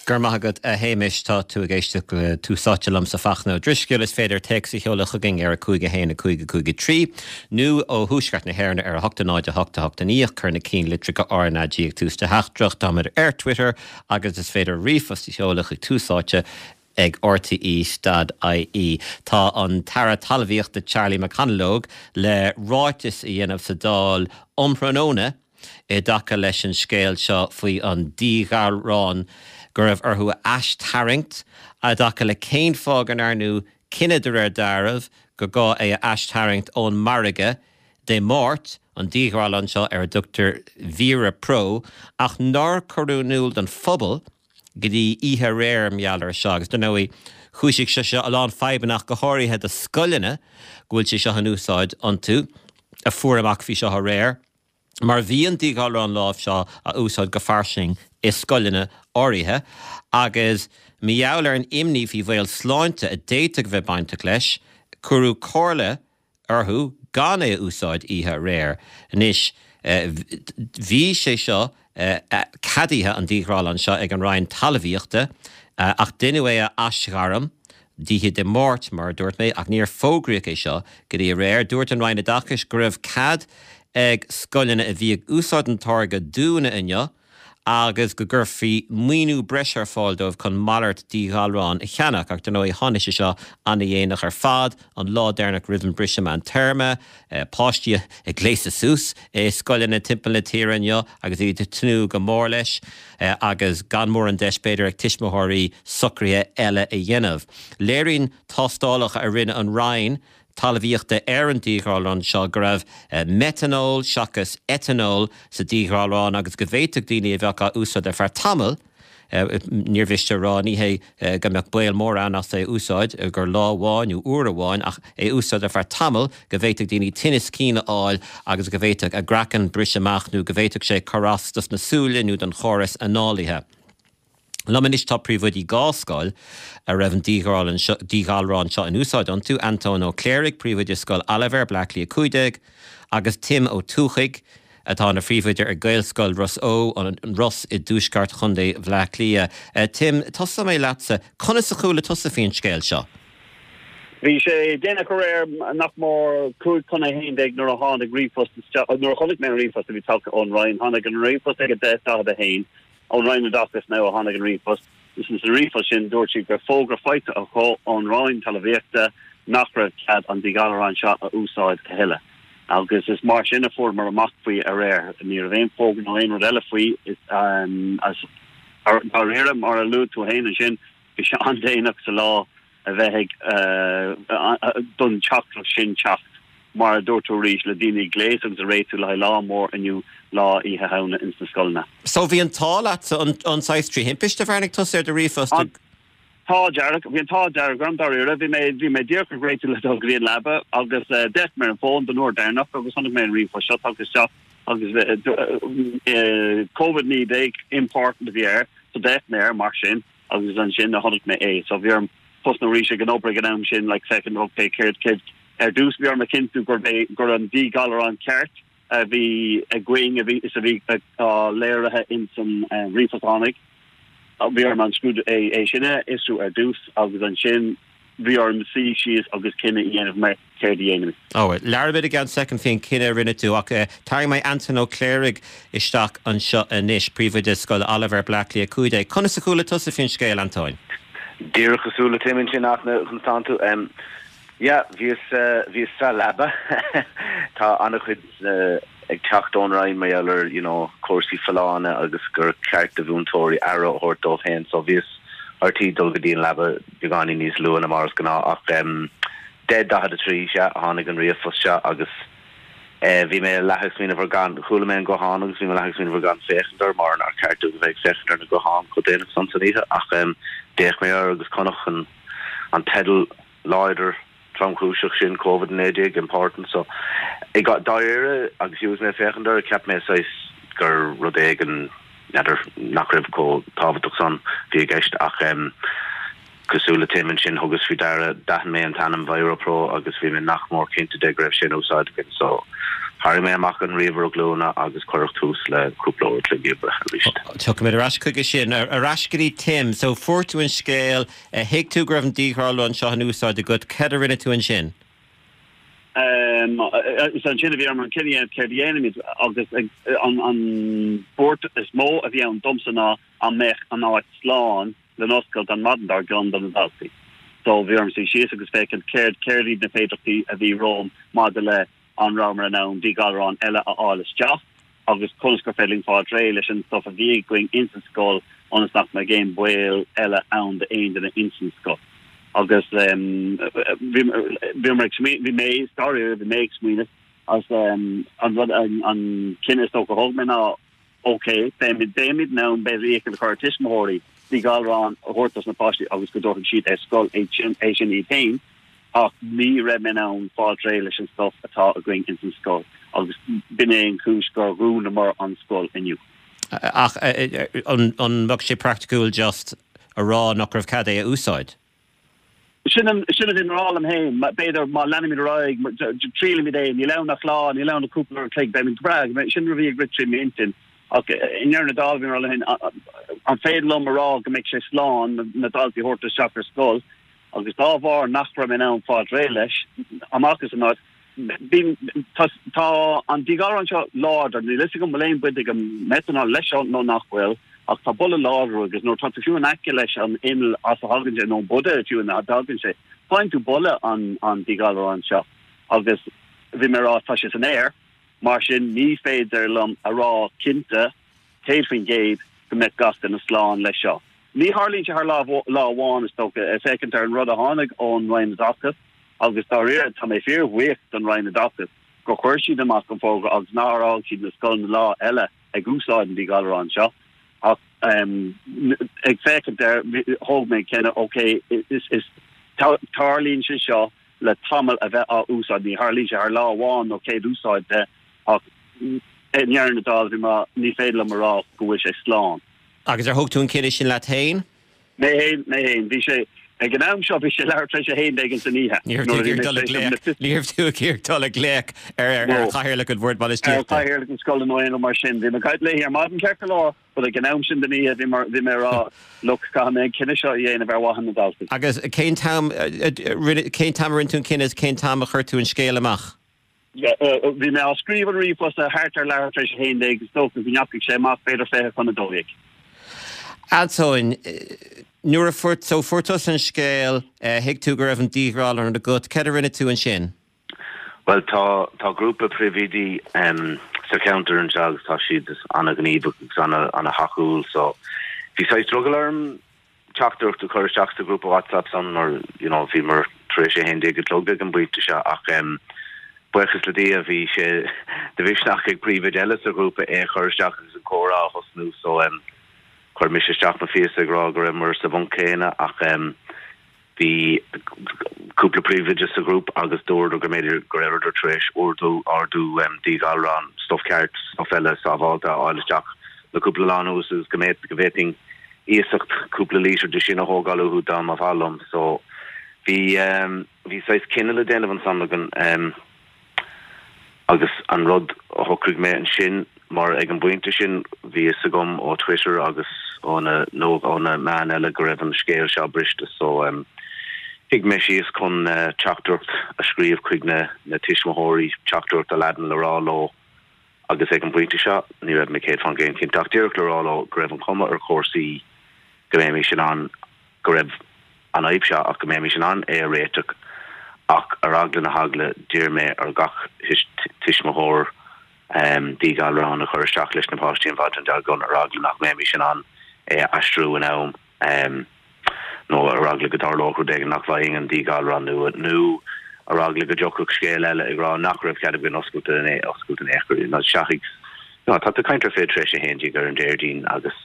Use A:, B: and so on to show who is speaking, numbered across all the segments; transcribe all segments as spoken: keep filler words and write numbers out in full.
A: Gur maith agat a Shéamais tá tú ag éisteacht le Tús Áite liomsa Fachtna Ó Drisceoil is féidir téacs a sheoladh chugainn ar a cúig a haon a cúig a cúig a trí nó ó thuaisceart na hÉireann ar a hocht a náid a hocht a hocht a naoi cuir na cinnlitreacha RnaG ag tús do theachtaireacht táimid ar Twitter agus is féidir ríomhphost a sheoladh chuig Tús Áite ag RTÉ.ie. Tá an tAire Talmhaíochta Charlie McConalogue le ráiteas a dhéanamh sa Dáil um thráthnóna i dtaca leis an scéal seo faoi an díghalrán go raibh orthu a aistarraingt i dtaca le cén fáth go ndearnadh cinneadh de réir dealraimh gur gá é a aistarraingt ón margadh Dé Máirt an díghalrán seo ar a dtugtar ViroPro ach nár cuireadh in iúl don phobal go dtí oíche aréir mar gheall air seo agus dar ndóigh chúisigh sé seo a lán fadhbanna go háirithe do scoileanna go bhfuil sé seo in úsáid iontu a fuair amach faoi seo aréir. Mar bhí an díghalrán lámh seo á úsáid go fairsing i scoileanna áirithe agus mar gheall ar an imní faoi bhaol sláinte a d'fhéadfadh bheith bainteach leis, cuireadh comhairle orthu gan é a úsáid oíche aréir. Anois bhí sé seo ceadaithe an díghalrán seo ag an Roinn Talmhaíochta ach deineadh é a aisghairm d'oíche Dé Máirt mar a dúirt mé ach níor fógraíodh é seo go dtí aréir. Dúirt an Roinn Oideachais go raibh cead ag scoileanna a bhí ag úsáid an táirge dúnadh inniu agus go gcuirfí maoiniú breise ar fáil dóibh chun malairt díghalrán a cheannach ach dar ndóigh tháinig sé seo an-dhéanach ar fad an lá deireanach roimh an briseadh meántéarma, páistí ag gléasadh suas i scoileanna timpeall na tíre inniu agus iad ag tnúth go mór leis agus gan mórán deis b'fhéidir ag tuismitheoirí socruithe eile a dhéanamh. Léiríonn tástálacha a rinne an Roinn talmhaíochta ar an díghalrán seo go raibh meatánól seachas eatánól sa díghalrán agus go bhféadfadh daoine a bheadh á úsáid ar feadh tamaill níor mhiste rá ní hé go mbeadh baol mór ann as é úsáid gur lá amháin nó uair amháin ach é úsáid ar feadh tamaill go bhféadfadh daoine tinneas cinn a fháil agus go bhféadfadh a gcraiceann briseadh amach nó go bhféadfadh sé cur as dos na súile nó don chóras análaithe. Liom anois tá príomhoidí dhá scoil a raibh an díghalrán seo in úsáid iontu, Antóin Ó Cléirigh, príomhoide Scoil Oilibhéir, Bleá Cliath cúig déag, agus Tim Ó Tuathaigh, atá ina phríomhoide ar Gaelscoil Ros Eo, an Ros i dtuaisceart Chontae Bhleá Cliath. Tim, tosóidh mé leatsa, conas a chuala tusa faoin scéal seo?
B: Bhí sé déanach aréir nach mór cúig chun a haon déag nuair a tháinig ríomhphost isteach, nuair a chonaic mé an ríomhphost a bhí tagtha ón Roinn, tháinig an ríomhphost ag a deich daichead a haon, ón Roinn Oideachais now a tháinig an ríomhphost. Is sa ríomhphost sin dúirt siad go raibh fógra faighte acu ón Roinn Talmhaíochta nach raibh cead an díghalrán seo a úsáid a thuilleadh. Agus is mar sin a fuaireamar amach faoi aréir. Ní raibh aon fógra nó aon rud eile faoi is um, as dáiríre mar a luaigh tú féin ansin bhí sé an-déanach sa lá a bheith ag uh, don teachtaireacht sin teacht mar a dúirt tú arís le daoine ag gléasadh agus ag réitiú le haghaidh lá mór inniu lá Oíche Shamhna ins na scoileanna.
A: So bhí an t-ádh leat an an saghas trí thimpiste a bhreathnaigh tusa ar do ríomhphost
B: An t-ádh dearg bhí an t-ádh dearg orm dáiríre bhí mé bhí mé díreach ag réitiú le dul go dtí an leaba agus uh, d'fhéach mé ar an bhfón don uair deireanach agus chonaic mé an ríomhphost seo tagtha isteach agus uh, Covid naoi déag important a bhí air so d'fhéach mé air mar sin agus ansin a chonaic mé é so bhí orm tosnú arís ag an obair ag an am sin like second okay céard céard ar dtús bhí orm a chinntiú gur é gur an díghalrán ceart a bhí againn a bhí is a bhí á léirithe in san ríomhphost a tháinig bhí orm an scrúdú é é sin a fhiosrú ar dtús agus ansin bhí orm suí síos agus cinneadh a dhéanamh mar céard a dhéanamh.
A: Ó, labhróimid i gceann soicind faoin cinneadh a rinne tú ach tarraingfidh mé Anton Ó Cléirigh isteach anseo anois, príomhoide Scoil Oilibhéir, Bleá Cliath cúig déag. Conas a chuala tusa faoin scéal, Antóin?
C: Díreach cosúil le Tim ansin conas tánn tú. Yeah, bhíos bhíos sa leaba. Tá an-chuid ag teacht ón Roinn mar gheall ar you know, cúrsaí folláine agus gur ceart do mhúinteoirí aire a thabhairt dóibh féin, so bhíos ar tí dul go dtí an leaba beagáinín níos luaithe ná mar is gnáth ach um, deich daichead a trí sea a tháinig an ríomhphost seo agus eh, bhí mé leath ag smaoineamh ar gan chuala mé an guthán agus bhí mé leath ag smaoineamh ar gan féachaint air mar nár cheart domh a bheith ag féachaint ar na gutháin chomh déanach san san oíche ach um, d'fhéach mé air agus chonaic an an teideal láidir tromchúiseach sin Covid naoi déag important so i dáiríre agus fiú mé féachaint air cheap mé saghas gur rud éigin n'fheadar nach raibh chomh tábhachtach san bhí i gceist ach um, cosúil le Tim ansin thugas faoi deara d'aithin mé an t-ainm ViroPro agus bhí mé nach mór cinnte de go raibh sin úsáid againn so Tharraing mé amach an ríomhaire glúine agus cuireadh tús le cúpla uair a chloig oibre arís.
A: Tiocfaimid ar ais chuige sin. Ar ais go dtí Tim. So fuair tú an scéal, thuig tú go raibh an díghalrán seo in úsáid agat, céard a rinne tú ansin?
B: Is ansin a bhí orm an cinneadh a dhéanamh céard a dhéanaimid agus an buairt is mó a bhí ann domsa ná an mbeadh an áit slán le n-oscailt an maidin dár gcionn do na daltaí. So bhí orm suí síos agus féachaint céard céard iad na féidearthachtaí a bhí romham maidir le an rabhamar in ann díghalrán eile a fháil isteach agus conas gur féidir linn fáil réidh leis an stuff a bhí againn ins an scoil ionas nach mbeadh aon baol eile ann d'aon duine ins an scoil. Agus bhí bhí ag smaoineamh bhí mé dáiríre bhí mé ag smaoineamh agus an rud an cinneadh is dócha a thóg mé ná ok beimid beimid in ann b'fhéidir iachall a chur ar tuismitheoirí díghalrán a thabhairt dos na páistí agus go dtabharfaidh siad ar scoil é sin é sin iad féin ach ní raibh mé in ann fáil réidh leis an stuff atá againn ins an scoil agus b'in é an chúis gur dhúnamar an scoil inniu.
A: Ach an an mbeadh sé praiticiúil just a rá nach raibh cead é a úsáid?
B: Sin an sin a bhí mé a rá liom féin, b'fhéidir má leanaimid ar aghaidh triailfimid é, níl ann ach lá, níl ann ach cúpla uair an chloig, beimid go breá, sin rud a bhí ag rith trí m'intinn. Ach i ndeireadh na dála bhí mé a rá liom féin, an féidir liom a rá go mbeidh sé slán na daltaí a thabhairt isteach ar scoil agus dá bharr nach raibh mé in ann fáil réidh leis amach as an áit, bhí tá tá an díghalrán seo láidir, níl fhios agam bhfuil aon baint ag an meatánól leis seo nó nach bhfuil, ach tá boladh láidir agus nuair atá tú fiú in aice leis an inneall as a thagann sé nó an buidéal fiú ina dtagann sé, faigheann tú boladh an an díghalráin seo agus bhí mé a rá tá sé san aer, mar sin ní féidir liom a rá cinnte céad faoin gcéad go mbeidh gach duine slán leis seo. Ní tharlaíonn sé thar lá lá amháin is dócha, ag féachaint ar an rud a tháinig ón Roinn Oideachais agus dáiríre tá mé fíorbhuíoch don Roinn Oideachais gur chuir siad amach an fógra agus nár fhág siad na scoileanna lá eile ag úsáid an díghalráin seo ach ag féachaint air thóg mé an cinneadh ok is is tarlaíonn sé seo le tamall a bheith á úsáid ní tharlaíonn sé thar lá amháin nó céad úsáid de ach i ndeireadh na dála bhí mé ní féidir liom a rá go bhfuil sé slán.
A: Agus ar thóg tú an cinneadh sin leat féin?
B: Mé féin, mé féin. Bhí sé, ag an am seo bhí sé leathuair tar éis a haon déag ins an oíche.
A: Ní raibh tú ag iarraidh dul ag glaoch, ní raibh tú ag iarraidh dul ag glaoch ar ar chathaoirleach an bhoird bainistíochta.
B: Ar chathaoirleach an scoile nó aon rud mar sin. Bhí mé ag caint léi ar maidin ceart go leor, but ag an am sin den oíche bhí mar bhí mé ag rá look caithfidh mé an cinneadh seo a dhéanamh ar mhaithe na ndaltaí.
A: Agus cén t-am, cén t-am a rinne tú an cinneadh is cén t-am a chuir tú an scéal amach?
B: Bhí mé á scríobh an ríomhphost thart ar leathuair tar éis a haon déag, is dócha go ndeachaigh sé amach b'fhéidir fiche chun a dó dhéag.
A: Antóin, nuair a fuair, so fuair tusa an scéal, thuig tú go raibh an díghalrán agat, céard a rinne tú ansin?
C: Bhuel, tá, tá grúpa príomhoidí sa cheantar anseo agus tá siad an-ghníomhach agus an-thacúil so bhí saghas drogall orm teachtaireacht a chur isteach sa ghrúpa WhatsApp san mar you know bhíomar tar éis a haon déag a chlog ag an bpointe seo ach em buíochas le Dia bhí sé de mhisneach ag príomhoide eile sa ghrúpa é a chur isteach agus an comhrá a thosnú so em chuir mise isteach mo phíosa ag rá go rabhamar sa bhponc céanna ach em Bhí cúpla príomhoide sa ghrúpa agus dúradar go mb'fhéidir go rabhadar tar éis ordú ordú díghalrán, stuif ceart, stuif eile sábháilte a fháil isteach le cúpla lá anuas agus go go bhféadfainn iasacht cúpla lítear de sin a thógáil uathu dá mba mhaith liom. So bhí bhí saghas cinneadh le déanamh ansan againn. Agus an rud a shocraigh mé ansin, mar ag an bpointe sin bhí fhios agam ó Twitter agus ó na nó ó na meáin eile go raibh an scéal seo briste so shuigh mé síos chun teachtaireacht a scríobh chuig na na tuismitheoirí, teachtaireacht a leadan le rá leo agus ag an bpointe seo ní raibh mé céad faoin gcéad cinnte ach díreach le rá leo go raibh an chuma ar chúrsaí go mbeimis in ann go raibh an fhadhb seo ach go mbeimis in ann é a réiteach ach ar eagla na heagla d'iarr mé ar gach tuismitheoir díghalrán a chur isteach leis na páistí an mhaidin dár gcionn ar eagla nach mbeimis in ann é a aistriú in am nó ar eagla go dtarlódh rud éigin nach bhfaighinn an díghalrán nua nó ar eagla go dtiocfadh scéal eile ag rá nach raibh cead againn oscailt in oscailt in aon chor nó seachaigh nó tá tú ag caint ar fiche tar éis a haon déag ar an Déardaoin agus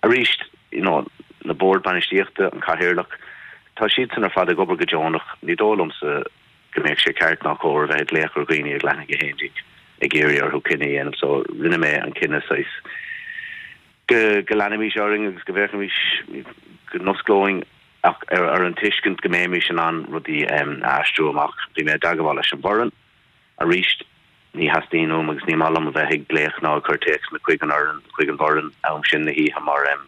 C: arís you know na boird bainistíochta, an cathaoirleach, tá siadsan ar fad ag obair go deonach, ní dóigh liomsa go mbeadh sé ceart ná cóir a bheith ag glaoch ar dhaoine ag leath i ndiaidh a haon déag ag iarraidh orthu cinneadh a dhéanamh so rinne mé an cinneadh saghas go go leanfaimis orainn agus go bhféachfaimis go n-osclóinn ach ar ar an tuiscint go mbeimis in ann rudaí a aistriú amach. Bhí mé i dteagmháil leis an bhfoireann arís. Ní theastaíonn uaim agus ní maith liom a bheith ag glaoch ná ag cur téacsanna chuig an fhoireann, chuig an bhfoireann am sin na hoíche mar em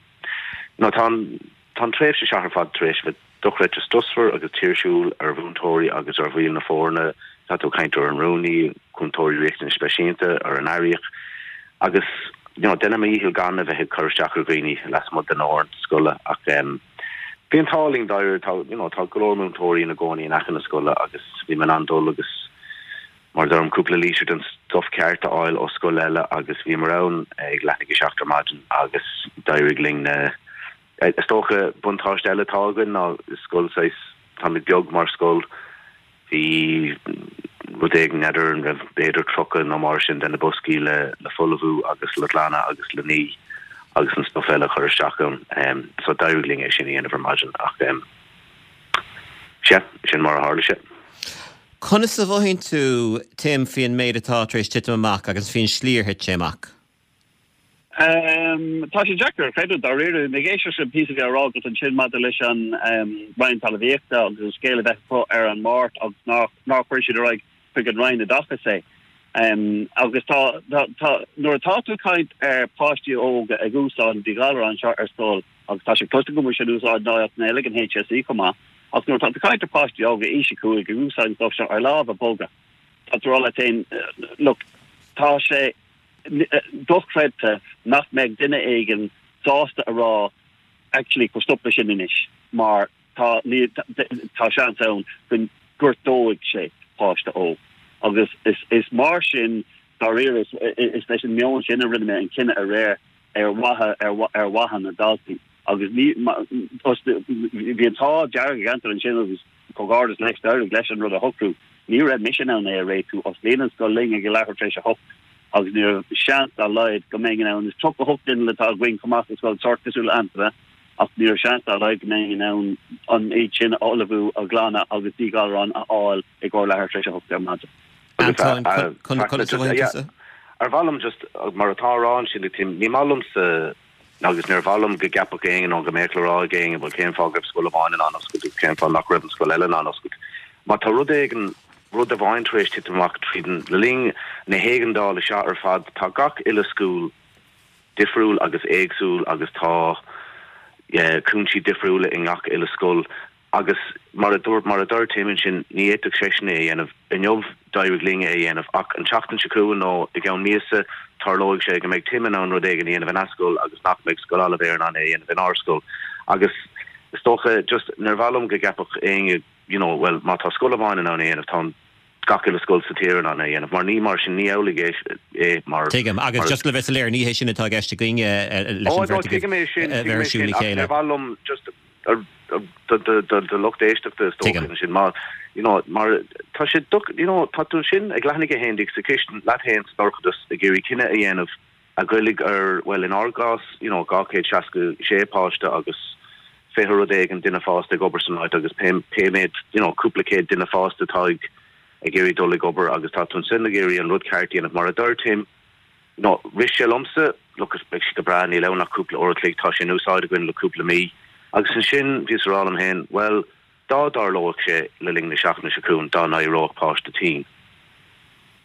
C: no tá an tá an tréimhse seo ar fad tar éis bheith dochreidte strusmhar agus tuirsiúil ar mhúinteoirí agus ar bhaill na foirne, tá tú ag caint ar an rúnaí, cúntóirí riachtanais speisialta, ar an airíoch agus you know déanaim mo dhícheall gan a bheith ag cur isteach ar dhaoine lasmuigh den fhoireann scoile ach em bhí an t-ádh linn dáiríre tá you know tá go leor múinteoirí ina gcónaí in aice na scoile agus bhí mé in ann dul agus mar a deirim cúpla lítear den stuif ceart a fháil ó scoil eile agus bhíomar ann ag leath i ndiaidh a seacht ar maidin agus d'éirigh linn na Is dócha buntáiste eile atá againn ná is scoil saghas táimid beag mar scoil bhí rud éigin n'fheadar an raibh b'fhéidir tríocha nó mar sin de na boscaí le le folmhú agus le glanadh agus le ní agus an stuif eile a chur isteach ann so d'éirigh linn é sin a dhéanamh ar maidin ach sea sin mar a tharla sé.
A: Conas a mhothaíonn tú, Tim, faoin méid atá tar éis titim amach agus faoin slí ar thit sé amach?
B: Tá sé deacair a chreidiúint dáiríre. Ag éisteacht leis an píosa a bhí á rá agat ansin maidir leis an Roinn Talmhaíochta agus an scéal a bheith acu ar an Máirt agus nár nár chuir siad ar aghaidh chuig an Roinn Oideachais é. Agus tá tá tá nuair atá tú ag caint ar páistí óga ag úsáid an díghalrán seo ar scoil agus tá sé cloiste agam go bhfuil sé in úsáid in áiteanna eile ag an HSE chomh maith, Ach nuair atá tú ag caint ar pháistí óga aois a cúig ag úsáid an stuif seo ar lámha boga, tá tú ag rá leat féin, look, tá sé dochreidte nach mbeidh duine éigin sásta a rá actually cuir stop leis sin anois mar tá tá seans ann go ngortóidh sé páiste óg. Agus is is mar sin dáiríre is leis an meon sin a rinne mé an cinneadh aréir ar mhaithe ar mhaithe na ndaltaí. Agus ní bhí an t-ádh dearg ag Antoin ansin agus comhghairdeas leis, d'éirigh leis an rud a shocrú. Ní raibh mise in ann é a réitiú, osclaíonn an scoil linn ag a leathuair tar éis a hocht agus ní raibh seans dá laghad go mbeinn in ann, is tríocha a hocht duine atá againn chomh maith sa scoil, sórt cosúil le Antaine, ach ní raibh seans dá laghad go mbeinn in ann an méid sin a ullmhú, a ghlanadh agus díghalrán a fháil i gcomhair leathuair tar éis a hocht ar maidin.
A: Antoin, conas a mhothaíonn tusa?
C: Ar mhaith liom just, mar atá á rá ansin ag Tim, ní maith liomsa Agus níor mhaith liom go gceapfadh éinne nó go mbeadh le rá ag éinne, bhuel, cén fáth go raibh scoil amháin in ann oscailt agus cén fáth nach raibh an scoil eile in ann oscailt. Má tá rud éigin, rud amháin tar éis titim amach tríd an, le linn na héigeandála seo ar fad, tá gach uile scoil difriúil agus éagsúil agus tá cúinsí difriúla i ngach uile scoil. Agus mar a dúirt, mar a dúirt Tim ansin, ní fhéadfadh seisean é a dhéanamh. Inniu, d'éirigh linn é a dhéanamh, ach an tseachtain seo chugainn nó i gceann míosa, tarlóidh sé go mbeidh Tim in ann rud éigin a dhéanamh ina scoil agus nach mbeidh Scoil Oilibhéir in ann é a dhéanamh inár scoil. Agus is dócha, just, níor mhaith liom go gceapfadh éinne, you know, well, má tá scoil amháin in ann é a dhéanamh, tá an gach uile scoil sa tír in ann é a dhéanamh, mar ní mar sin, ní amhlaidh é, é mar,
A: Tuigim, agus
C: mar.
A: just le bheith soiléir, ní hé sin atá i gceist againne leis
C: Oh,
A: an
C: no,
A: bheirt agaibh
C: tuigim é sin,
A: a
C: tuigim
A: bheith
C: é
A: ar siúl
C: sin,
A: le
C: ach
A: chéile.
C: níor mhaith liom just, do lucht éisteachta is dócha
A: Tuigim.
C: ansin mar you know mar tá sé doc you know tá tú ansin ag leath i ndiaidh a haon déag sa chistin leat féin sa dorchadas ag iarraidh cinneadh a dhéanamh a ghoillfidh ar bhuel in ár gcás you know dhá chéad seasca sé páiste agus fiche rud éigin duine fásta ag obair san áit agus pé pé méid you know cúpla céad duine fásta atá ag ag iarraidh dul ag obair agus tá tú ansin ag iarraidh an rud ceart a dhéanamh mar a dúirt Tim No, rith sé liomsa, look, is beidh sé go breá, níl ann ach cúpla uair a chloig, tá sé in úsáid againn le cúpla mí. Agus ansin bhíos ag rá liom féin, bhuel, dá dtarlódh sé le linn na seachtaine seo chugainn, dá n-éireodh páiste tinn,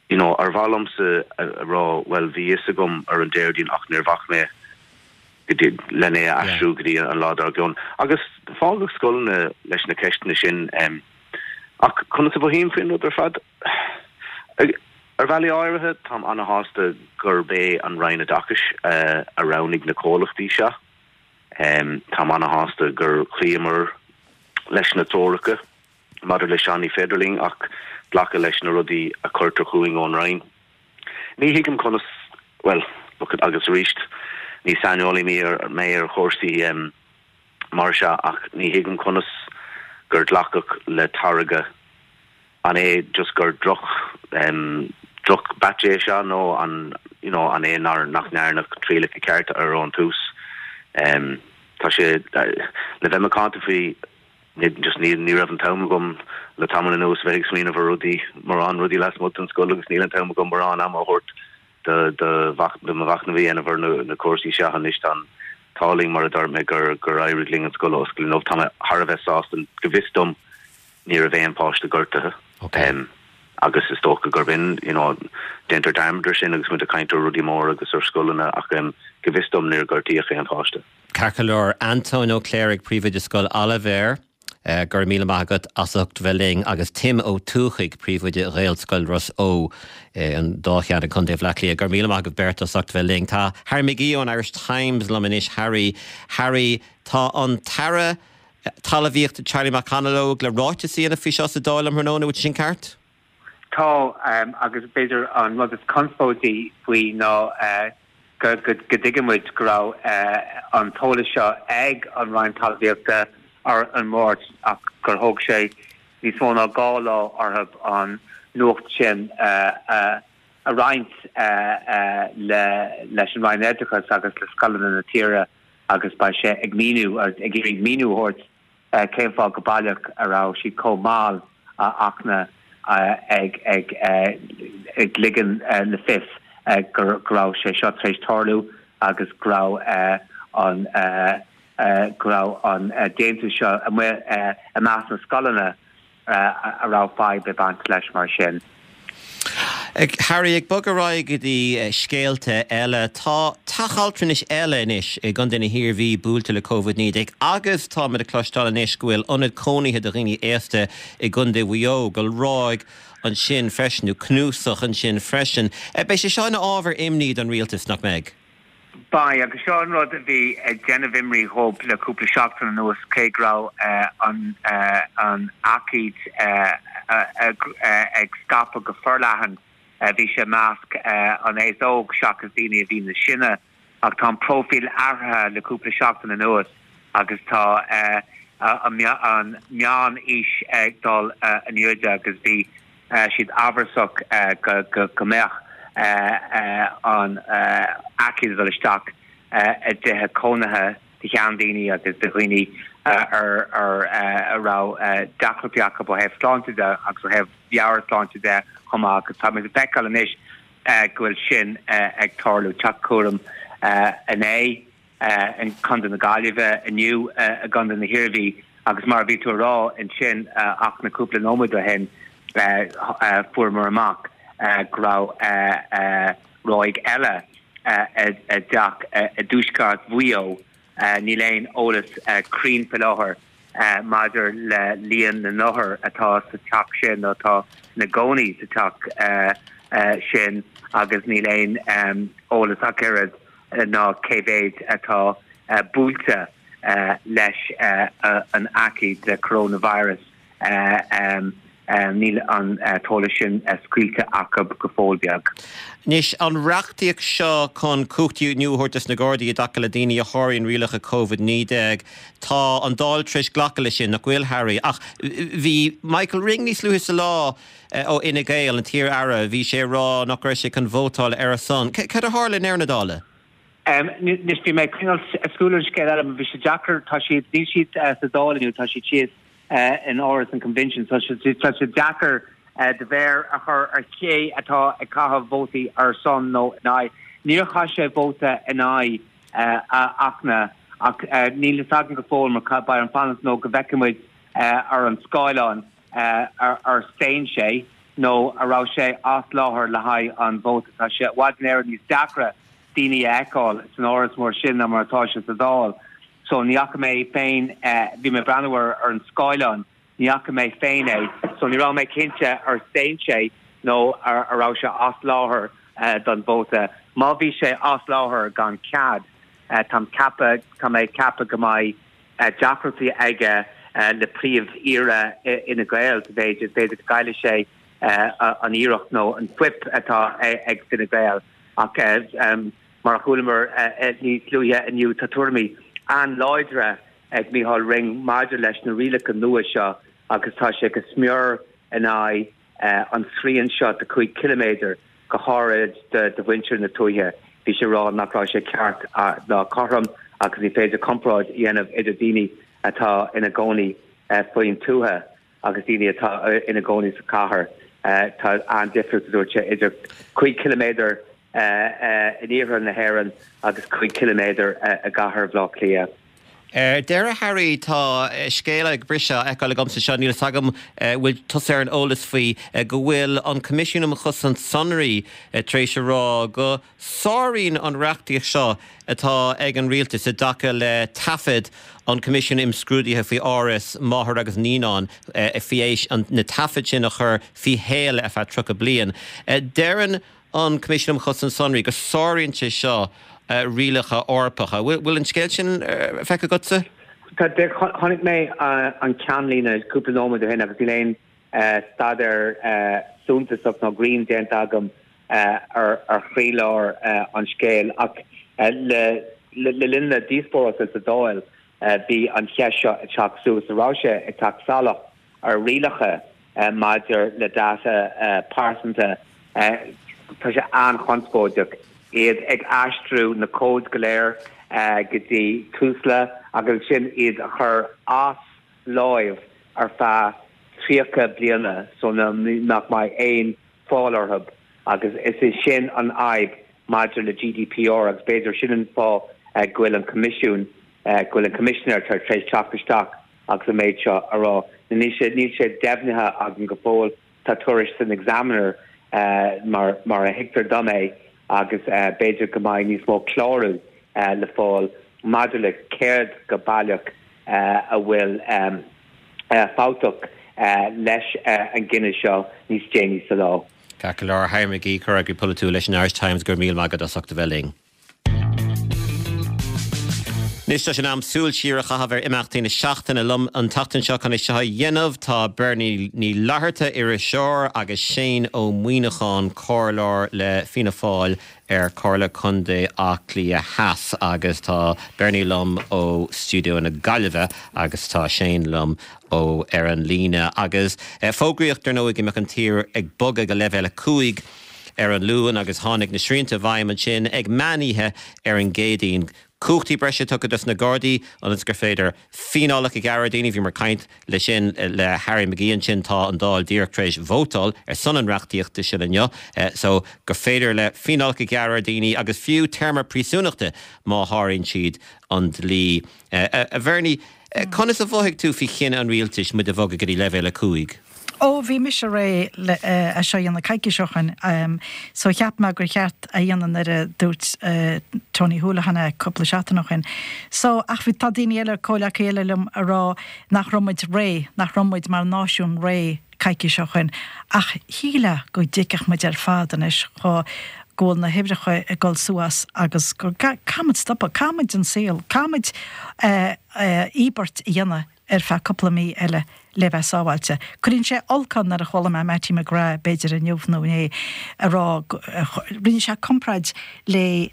C: you know, ar mhaith liomsa a rá, bhuel, bhí fhios agam ar an Déardaoin ach níor bhac mé go dtí, len é a aistriú go dtí an lá dár gcionn. Agus fágadh scoileanna leis na ceisteanna sin. Ach conas a mhothaím faoin rud ar fad? Ar bhealaí áirithe, táim ana-shásta gurb é an Roinn Oideachais a roghnaigh na comhlachtaí seo. Táim ana-shásta gur chloíomar leis na treoracha maidir leis seo. Ní féidir linn ach glacadh leis na rudaí a chuirtear chugainn ón Roinn. Ní thuigim conas, bhuel, look, agus arís, ní saineolaí mé ar chúrsaí mar seo ach ní thuigim conas gur glacadh le táirge An é just gur droch em droch batch é seo nó an you know an é nár nach ndearnadh trialacha cearta air ón tús? Em tá sé le bheith macánta faoi ní just ní ní raibh an t-am agam le tamall anuas bheith ag smaoineamh ar rudaí mórán rudaí lasmuigh den scoil agus níl an t-am agam mórán ama a thabhairt do do mhach do mo mhachnamh a dhéanamh ar na na cúrsaí seo anois tá an t-ádh linn mar a dúirt mé gur gur éirigh linn an scoil a oscailt inniu. Tá mé thar a bheith sásta go bhfios dom ní raibh aon páiste gortaithe. Agus is dócha gurb in, you know, déantar dearmad ar sin agus muid ag caint ar rudaí móra agus ar scoileanna ach um, go bhfios dom níor gortaíodh aon pháiste.
A: Ceart go leor Antóin Ó Cléirigh príomhoide Scoil Oilibhéir. Uh, go raibh míle maith agat as ucht bheith linn agus Tim Ó Tuathaigh príomhoide Ghaelscoil Ros Eo eh, an dá cheann i gContae Bhaile Átha Cliath. Go raibh míle maith agaibh beirt as ucht bheith linn. Tá Harry McGee ón Irish Times liom anois Harry Harry tá an tAire Talmhaíochta Charlie McConalogue le ráiteas a dhéanamh faoi seo sa Dáil um thráthnóna sin ceart?
D: Tá um, agus b'fhéidir an rud is conspóidí faoi ná uh, go dtuigimid go raibh uh, an t-eolas seo ag an Roinn Talmhaíochta ar an Máirt ach gur thóg sé níos mó ná dhá lá orthu an nuacht sin uh, uh, a roinnt uh, uh, le, leis an Roinn Oideachais agus le scoileanna na tíre agus beidh sé ag míniú ag iarraidh míniú a thabhairt uh, cén fáth go baileach a raibh siad chomh mall a achna uh, ag ag uh, ag ligean uh, le fios uh, go raibh sé seo tar éis tarlú agus go raibh uh, an uh, uh, go raibh an uh, déantú seo amuigh uh, i measc na scoileanna uh, a raibh fadhb ag baint leis mar sin.
A: Ag Harry ag bogadh ar aghaidh go dtí scéalta eile tá teach altranais eile anois i gContae na hIarmhí buailte le Covid naoi déag agus tá muid ag cloisteáil anois go bhfuil ionad cónaithe do dhaoine aosta i gContae Mhaigh Eo go bhfuil ráig ansin freisin nó cnuasach ansin freisin. Beidh sé seo ina ábhar imní don rialtas nach mbeidh.
D: Beidh agus seo an rud a bhí ag déanamh imní dhóibh le cúpla seachtain anuas cé go raibh uh, an uh, an aicíd uh, uh, uh, ag scaipeadh go forleathan uh, bhí sé i measc uh, an aos óg seachas daoine a bhí níos sine ach tá an profil athraithe le cúpla seachtain anuas agus tá uh, an meánaois ag dul uh, in airde agus bhí uh, siad amhrasach uh, go, go, go mbeadh uh, uh, an uh, aicíd dul isteach uh, i dtithe cónaithe de sheandaoine agus de dhaoine uh, ar ar uh, a raibh uh, deacrachtaí acu ó thaobh sláinte de agus ó thaobh meabhairshláinte de chomh maith agus tá muid ag feiceáil anois uh, go bhfuil sin uh, ag tarlú teach cúraim uh, inné uh, in Contae na Gaillimhe inniu uh, i gContae na hIarmhí agus mar bhí tú rá ansin uh, ach na cúpla nóiméad ó shin uh, uh, fuaireamar amach uh, go raibh uh, uh, ráig eile uh, i dteach uh, i dtuaisceart Mhaigh Eo uh, níl aon eolas uh, cruinn faoi láthair uh, maidir le líon na n-othar atá sa teach sin atá ina gcónaí sa teach uh, uh, sin agus níl aon um, eolas ach oiread uh, ná cé mhéad atá uh, buailte uh, leis uh, uh, an aicíd de coronavirus uh, um, um, níl an uh, t-eolas sin uh, scaoilte acu go fóill beag.
A: Anois an reachtaíocht seo chun cumhachtaí nua a thabhairt dos na Gardaí i dtaca le daoine a sháraíonn rialacha Covid naoi déag Tá an Dáil tar éis glacadh leis sin nach bhfuil Harry ach bhí Michael Ring níos luaithe sa lá ó Fhine Gael an t-iar-aire bhí sé rá nach raibh sé chun vótáil ar a son. Cad a tharla i ndeireadh na dála?
D: Um, Anois bhí mé súil an scéal eile bhí sé deacair tá siad níl siad uh, sa Dáil inniu tá siad síos uh, in Áras an Convention so tá sé deacair uh, do mhéar a chur ar cé atá ag caitheamh vótaí ar son nó in aghaidh. Níor chaith sé vóta in aghaidh uh, achna ach uh, níl a fhios againn go fóill mar beidh orainn fanacht nó go bhfeicfimid uh, ar an scáileán uh, ar, ar staon sé nó a raibh sé as láthair le haghaidh an vóta tá sé i bhfad níos deacra daoine a fheiceáil san áras mór sin ná mar atá sé sa Dáil. So ní fhaca mé féin bhí mé ag breathnú ar ar an scáileán ní fhaca mé féin é, so ní raibh mé cinnte ar staon sé nó ar a raibh sé as láthair uh, don vóta. Má bhí sé as láthair gan cead uh, tá ceapadh tá mé ceapadh go mbeidh uh, deacrachtaí aige uh, le príomh-aoire Fhine Gael b'fhéidir b'fhéidir go gcaillfidh sé uh, an iarracht nó an whip atá ag Fine Gael ach uh, um, mar a chualamar uh, níos luaithe inniu tá tuairimí an-láidre ag Micheál Ring maidir leis na rialacha nua seo agus tá sé go smior in aghaidh uh, an srian seo de cúig kilometer go háirid de, de mhuintir na tuaithe. Bhí sé rá nach raibh sé ceart uh, ná cothrom agus ní féidir comparáid a dhéanamh idir daoine atá ina gcónaí uh, faoin tuath agus daoine atá ina gcónaí sa chathair. Uh, tá an-difríocht dúirt sé idir cúig kilometer uh, uh, in iarthar na hÉireann agus cúig kilometer uh, i gcathair Bhaile Átha Cliath.
A: Ar deireadh Harry tá scéal ag briseadh feiceáil agamsa seo níl agam bhfuil tusa ar an eolas faoi go bhfuil an Coimisiún um Chosaint Sonraí tar éis a rá go sáraíonn an reachtaíocht seo atá ag an rialtas i dtaca le taifid an Coimisiún Imscrúdaithe faoi áras máthar agus naíonán faoi éis na taifid sin a chur faoi shéala ar feadh tríocha bliain. Deireann an Coimisiún um Chosaint Sonraí go sáraíonn sé seo rialacha Eorpacha. Bhfuil an scéal sin feicthe agatsa?
D: Chonaic mé an ceannlíne cúpla nóiméad ó shin agus níl aon staidéar suntasach nó grinn déanta agam ar ar chroílár an scéil ach le le linn na díospóireachta sa Dáil bhí an cheist seo ag teacht suas a raibh sé ag teacht salach ar rialacha maidir le data pearsanta tá sé an-chonspóideach iad ag aistriú na cóid go léir go dtí Tusla agus sin iad a chur as láimh ar feadh tríocha bliana so nach mbeidh aon fáil orthu agus is é sin an fhadhb maidir le GDPR agus b'fhéidir sin an fáth go bhfuil an Coimisiún go bhfuil an Coimisinéir tar éis teacht isteach agus an méid seo a rá. Níl sé níl sé deimhnithe agam go fóill tá tuairisc san Examiner mar mar a thuigtear dom é agus b'fhéidir go mbeidh níos mó clárú le fáil maidir le céard go baileach a bhfuil fabhtach leis an gcinneadh seo níos déanaí sa lá.
A: Ceart go leor Harry McGee comhfhreagraí polaitiúil leis an Irish Times gur míle maith agat as ucht a bheith linn. Anois tá sé in am súil siar a chaitheamh ar imeachtaí na seachtaine liom an tseachtain seo chun é seo a dhéanamh tá Bernie Ní Fhlatharta iriseoir agus Shane Ó Muíneacháin comhairleoir le Fianna Fáil ar Chomhairle Contae Átha Cliath Theas agus tá Bernie liom ó stiúideo na Gaillimhe agus tá Shane liom ó ar an líne agus eh, fógraíodh ar ndóigh go mbeadh an tír ag bogadh go leibhéal a cúig ar an Luan agus tháinig na srianta i bhfeidhm ansin ag meánoíche ar an gCéadaoin. Cumhachtaí breise tugtha dos na Gardaí ionas gur féidir fíneálacha a ghearradh daoine bhí mar caint le sin le Harry McGee ansin tá an Dáil díreach tar éis vótáil ar son an reachtaíochta sin inniu, so gur féidir le fíneálacha a ghearradh daoine agus fiú téarma príosúnachta má sháraíonn siad an dlí. A Bhernie, conas a mhothaigh tú faoi chinneadh an rialtais muid a bhogadh go dtí leibhéal a cúig?
E: Ó bhí mise réidh le é seo a dhéanamh coicís ó shin so cheap mé gur cheart a dhéanamh nuair a dúirt Tony Holohan cúpla seachtain ó shin. So ach bhí tá daoine eile comhleacaí eile liom a rá nach raibh muid réidh, nach raibh muid mar náisiún réidh coicís ó shin. Ach shílfeá go dtuigfeadh muid ar fad anois go go bhfuil na huimhreacha ag dul suas agus go caithfimid stopadh, caithfimid an saol, caithfimid íobairt a dhéanamh ar feadh cúpla mí eile le bheith sábháilte. Cuireann sé olc orm nuair a chuala mé Mattie McGrath b'fhéidir inniu nó inné a rá rinne sé comparáid le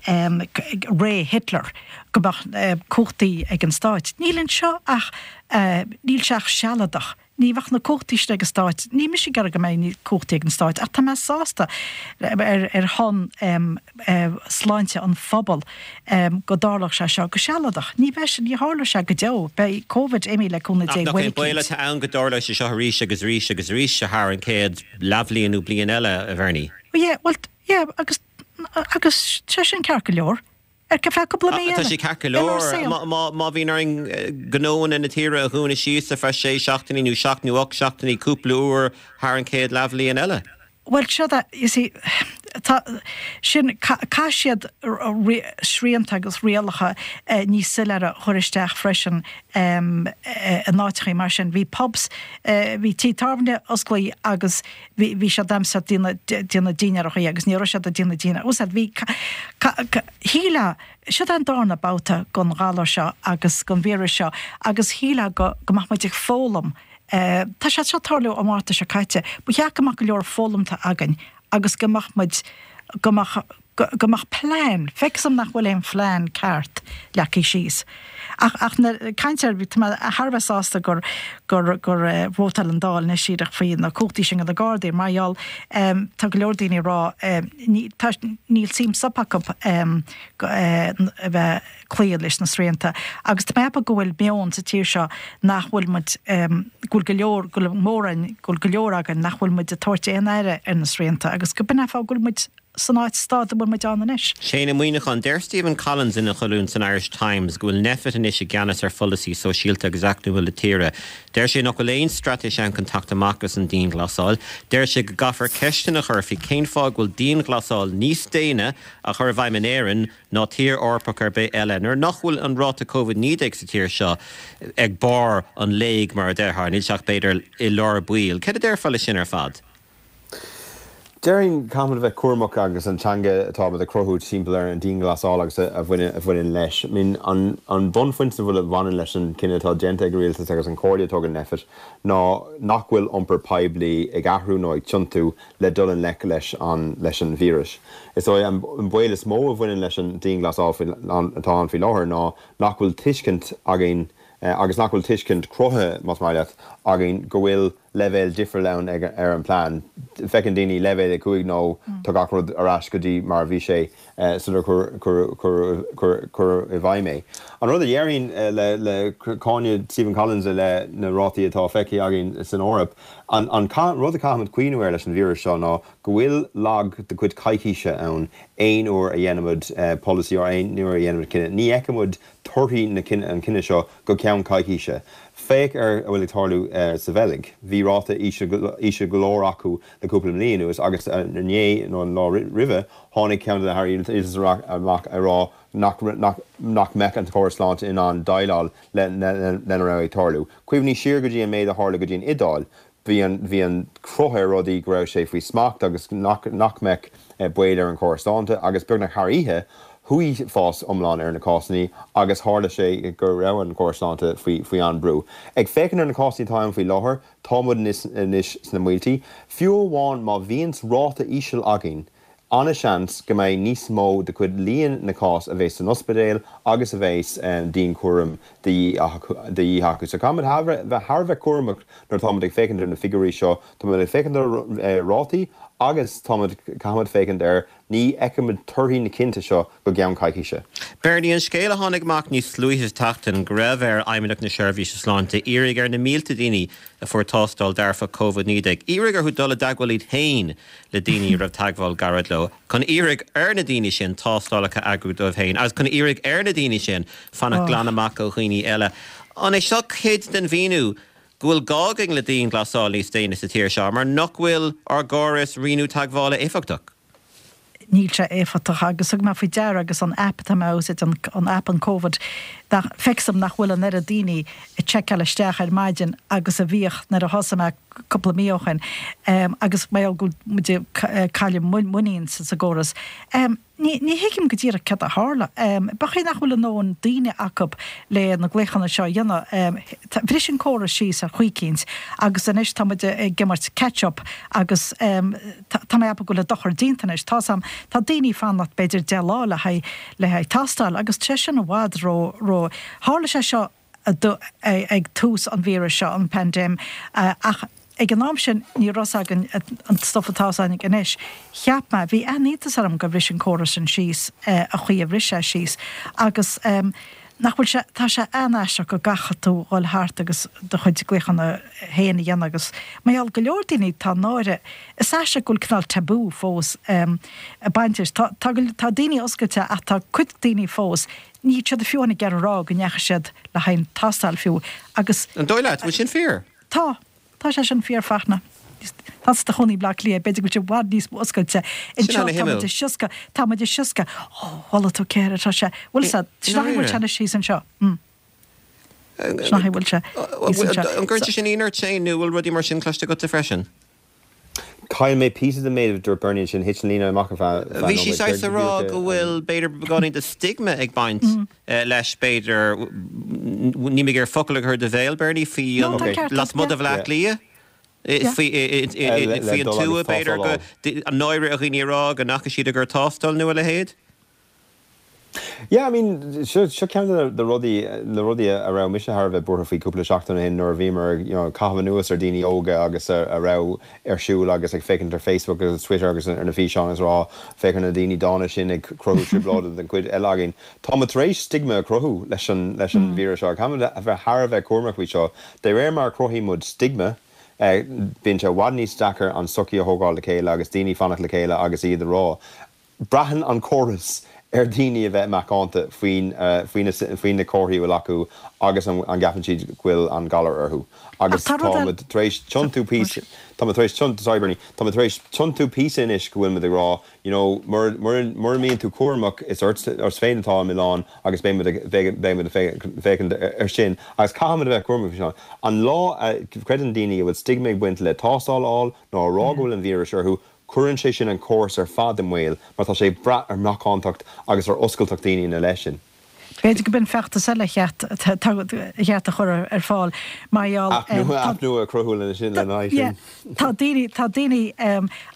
E: ré Hitler go mbeadh cumhachtaí ag an stáit. Níl anseo ach níl sé ach sealadach. Ní bheadh na cumhachtaí sin ag an stáit, ní mise ag iarraidh go mbeidh cumhachtaí ag an stáit, ach tá mé sásta ar ar shon sláinte an phobail go dtarlódh sé seo go sealadach. Ní bheidh ní tharlóidh sé go deo, beidh Covid imithe le cúnamh Dé
A: Nach é baol atá ann go dtarlóidh sé seo arís agus arís agus arís thar an chéad leathbhliain nó bliain eile a Bhernie?
E: Yeah, well, yeah, agus agus sé sin ceart go leor. Ar feadh cúpla mí
A: Tá sé ceart go leor má bhíonn orainn gnóanna na tíre a dhúnadh síos ar feadh sé seachtainí nó seacht nó ocht seachtainí cúpla uair thar an chéad leathbhliain eile.
E: Well seo you see, tá sin caithfidh siad srianta agus rialacha níos soiléire a chur isteach freisin in áiteachaí mar sin. Bhí pubs, bhí tithe tábhairne osclaí agus bhí bhí siad damsa déanamh dinnéarachaí agus ní raibh siad ag déanamh dinnéar. Úsáid bhí shílfeá seo an darna babhta den ghalar seo agus den víreas seo agus shílfeá go go mbeadh muid ag foghlaim Tá sé seo ag tarlú an Márta seo caite, ba cheart go mbeadh go leor foghlamtha againn agus go mbeadh muid go mbeadh go mbeadh plean, feictear dom nach bhfuil aon phlean ceart leagtha síos. Ach ach na caint ar tá mé thar a bheith sásta gur gur gur vótáil an Dáil anois díreach faoi na cumhachtaí sin do na Gardaí mar gheall tá go leor daoine ag rá ní tá níl suim sop acu a bheith cloí leis na srianta. Agus tá mé ag ceapadh go bhfuil meon sa tír seo nach bhfuil muid go bhfuil go leor go bhfuil mórán go bhfuil go leor againn nach bhfuil muid ag tabhairt aon aire ar na srianta agus go b'in é an fáth go bhfuil muid san áit staid a bhfuil muid ann anois.
A: Shane Ó Muíneacháin, Deir Stephen Collins ina cholún san Irish Times go bhfuil Nphet anois i gceannas ar pholasaí sóisialta agus eacnamaíoch na tíre. Deir sé nach bhfuil aon straitéis ann chun teacht amach as an dianghlasáil. Deir sé go gcaithfear ceisteanna a chur faoi cén fáth go bhfuil dianghlasáil níos déine á chur i bhfeidhm in Éirinn ná tír Eorpach ar bith eile, nuair nach bhfuil an ráta Covid naoi déag sa tír seo ag barr an léig mar a déarfá, níl sé ach b'fhéidir i lár baill. Céard a déarfá leis sin ar fad?
F: Déarfainn caithfimid a bheith cúramach agus an teanga atáimid ag cruthú timpeall ar an dianghlasáil agus a bhaineann leis. I mean, an an bunphointe a bhfuil a bhaineann leis an cinneadh atá déanta ag an rialtas agus an chomhairle a tugann Nphet ná nach bhfuil iompar poiblí ag athrú nó ag tiontú le dul i ngleic leis an leis an víreas. Is é an baol is mó a bhaineann leis an dianghlasáil atá ann faoi láthair ná nach bhfuil tuiscint againn agus nach bhfuil tuiscint cruthaithe, más maith leat, againn go bhfuil leibhéal difriúil ann ag ar an bplean. Feiceann daoine leibhéal a cúig nó tá gach rud ar ais go dtí mar a bhí sé sular cuireadh i bhfeidhm é. An rud a déarfainn le le cáineadh Stephen Collins i leith na rátaí atá feicthe againn san Eoraip, an an rud a caithfimid cuimhniú air leis an víreas seo ná go bhfuil lag de chuid coicíse ann aon uair a dhéanaimid polasaí nó aon uair a dhéanaimid cinneadh. Ní fheicimid torthaí na an cinneadh seo go ceann coicíse. Féach ar a bhfuil ag tarlú sa Bheilg. Bhí ráta íseal go leor acu le cúpla mbliain anuas agus inné nó an lá roimhe tháinig ceann de na hairí rialtais amach ag rá nach nach mbeadh an córas sláinte in ann déileáil lena raibh ag tarlú. Cuimhnigh siar go dtí an méid a tharla go dtí an Iodáil. Bhí an bhí an cruth ar rudaí go raibh sé faoi smacht agus nach nach mbeadh baol ar an chóras sláinte agus beagnach thar oíche chuaigh fás iomlán ar na cásanna agus tharla sé go raibh an córas sláinte faoi faoi an-brú. Ag féachaint ar na cásanna atá ann faoi láthair, tá muid anois sna mílte. Fiú amháin má bhíonns ráta íseal againn, an-seans go mbeidh níos mó de chuid líon na cás a bheas san ospidéal agus a bheas dianchúram de dhíth acu. So caithfimid bheith thar a bheith cúramach nuair atáimid ag féachaint ar na figiúirí seo. Táimid ag féachaint ar rátaí agus táimid caithfimid féachaint ar ní fheicimid torthaí na cinnte seo go gceann coicíse.
A: Bernie, an scéal a tháinig amach níos luaithe sa tseachtain go raibh ar Fheidhmeannacht na Seirbhíse Sláinte iarraidh ar na mílte daoine a fuair tástáil dearfach Covid naoi déag iarraidh orthu dul i dteagmháil iad féin le daoine a raibh teagmháil gairid leo, chun iarraidh ar na daoine sin tástálacha a eagrú dóibh féin agus chun iarraidh ar na daoine sin fanacht glan amach ó dhaoine eile. An é seo cuid den mhíniú go bhfuil gá againn le dianghlasáil níos déine sa tír seo mar nach bhfuil ár gcóras rianú teagmhála éifeachtach?
E: Níl sé éifeachtach agus thug mé faoi deara agus an aip atá mé a úsáid, an aip an Covid, nach, feicim nach bhfuil an oiread daoine ag seiceáil isteach ar maidin agus a bhíodh nuair a thosaigh mé cúpla mí ó shin agus mar gheall go bhfuil muid ag cailleadh muinín sa gcóras. Ní ní thuigim go díreach cad a tharla. B'fhéidir nach bhfuil a ndóthain daoine acu le na glaochanna seo a dhéanamh. Bhris an córas síos ar chaoi eicínt agus anois tá muid ag imirt catch up agus tá mé ag ceapadh go bhfuil an dochar déanta anois. Tá's a'm, tá daoine ag fanacht b'fhéidir deich lá le haghaidh le haghaidh tástáil agus tá sé sin i bhfad ró ró. Tharla sé seo ag tús an víris seo, an paindéim, ach ag an am sin ní raibh 's againn an stuff atá 's againn anois. Cheap mé, bhí an-iontas orm gur bhris an córas sin síos, a chaoi a bhris sé síos agus nach bhfuil sé, tá sé an-aisteach go gcaithfidh tú dhul thart agus do chuid glaochanna féin a dhéanamh agus mar gheall go leor daoine tá náire, is aisteach go bhfuil cineál tabú fós ag baint leis. Tá, tá, tá daoine oscailte ach tá cuid daoine fós, níl siad fiú ag iarraidh a rá go ndeachaigh siad le haghaidh an tástáil fiú agus.
A: An dóigh leat, bhfuil sin fíor?
E: Tá. Tá sé sin fíor, Fachtna. Tá tú i do chónaí i mBleá Cliath, b'fhéidir go bhfuil sé i bhfad níos mó oscailte. Anseo tá muid ag sioscadh, tá muid ag sioscadh. Ó, chuala tú céard atá sé, bhfuil sé, sin an chaoi a bhfuil sé anois thíos anseo. Mm. Sin an chaoi a bhfuil sé thíos anseo.
A: An gcuireann sé sin ionadh ort Shane nó bhfuil rudaí mar sin cloiste agatsa freisin?
F: Chaill mé píosa den méid a dúirt Bernie ansin, thit an líne amach ar feadh
A: Bhí sí
F: nóiméid.
A: saghas ag rá go bhfuil b'fhéidir beagáinín de stigma ag baint leis b'fhéidir, níl mé ag iarraidh focal a chur i do bhéal Bernie, faoi
E: No, tá ceart agat,
A: lasmuigh de
E: yeah.
A: Bhleá Cliath, faoi
F: Le
A: an
F: dul
A: tuath
F: agus
A: b'fhéidir
F: tástáil
A: go, an náire ar dhaoine a rá go ndeachaigh siad i gcomhair tástáil nó a leithéid.
F: Yeah, I mean, seo seo ceann de na rudaí, na rudaí a raibh mise thar a bheith buartha faoi cúpla seachtain ó shin nuair a bhíomar, you know, ag caitheamh anuas ar daoine óga agus a a raibh ar siúl agus ag féachaint ar Facebook agus Twitter agus ar na físeáin agus rá, féach ar na daoine dána sin ag cruthú trioblóide don chuid eile againn. Tá muid tar éis stigma a chruthú leis an leis an víreas seo. Caithfimid a bheith thar a bheith cúramach faoi seo. De réir mar a chruthaíonn muid stigma, Bíonn sé i bhfad níos deacair an sochaí a thógáil le chéile agus daoine fanacht le chéile agus iad a rá. Braitheann an córas ar dhaoine a bheith macánta faoin faoi na comharthaí a bhfuil acu agus an gceapann siad go bhfuil an galar orthu. Agus táimid tar éis tiontú píosa, táimid tar éis tiontú, sorry Bernie, táimid tar éis tiontú píosa anois go bhfuil muid ag rá, you know, mura mbíonn tú cúramach is ort féin atá an milleán agus beidh muid ag beidh muid ag féachaint air sin agus caithfimid a bheith cúramach faoi sin. An lá a chreideann daoine a bhfuil stigma ag baint le tástáil a fháil nó a rá go bhfuil an víreas orthu, Cuireann sé sin an córas ar fad i mbaol mar tá sé ag brath ar mhacántacht agus ar oscailteacht daoine ina leith sin.
E: B'fhéidir go b'in feachtas eile a cheart a chur ar fáil mar gheall
F: Aip nua, aip nua a chruthú lena sin, lena aghaidh sin.
E: Tá daoine, tá daoine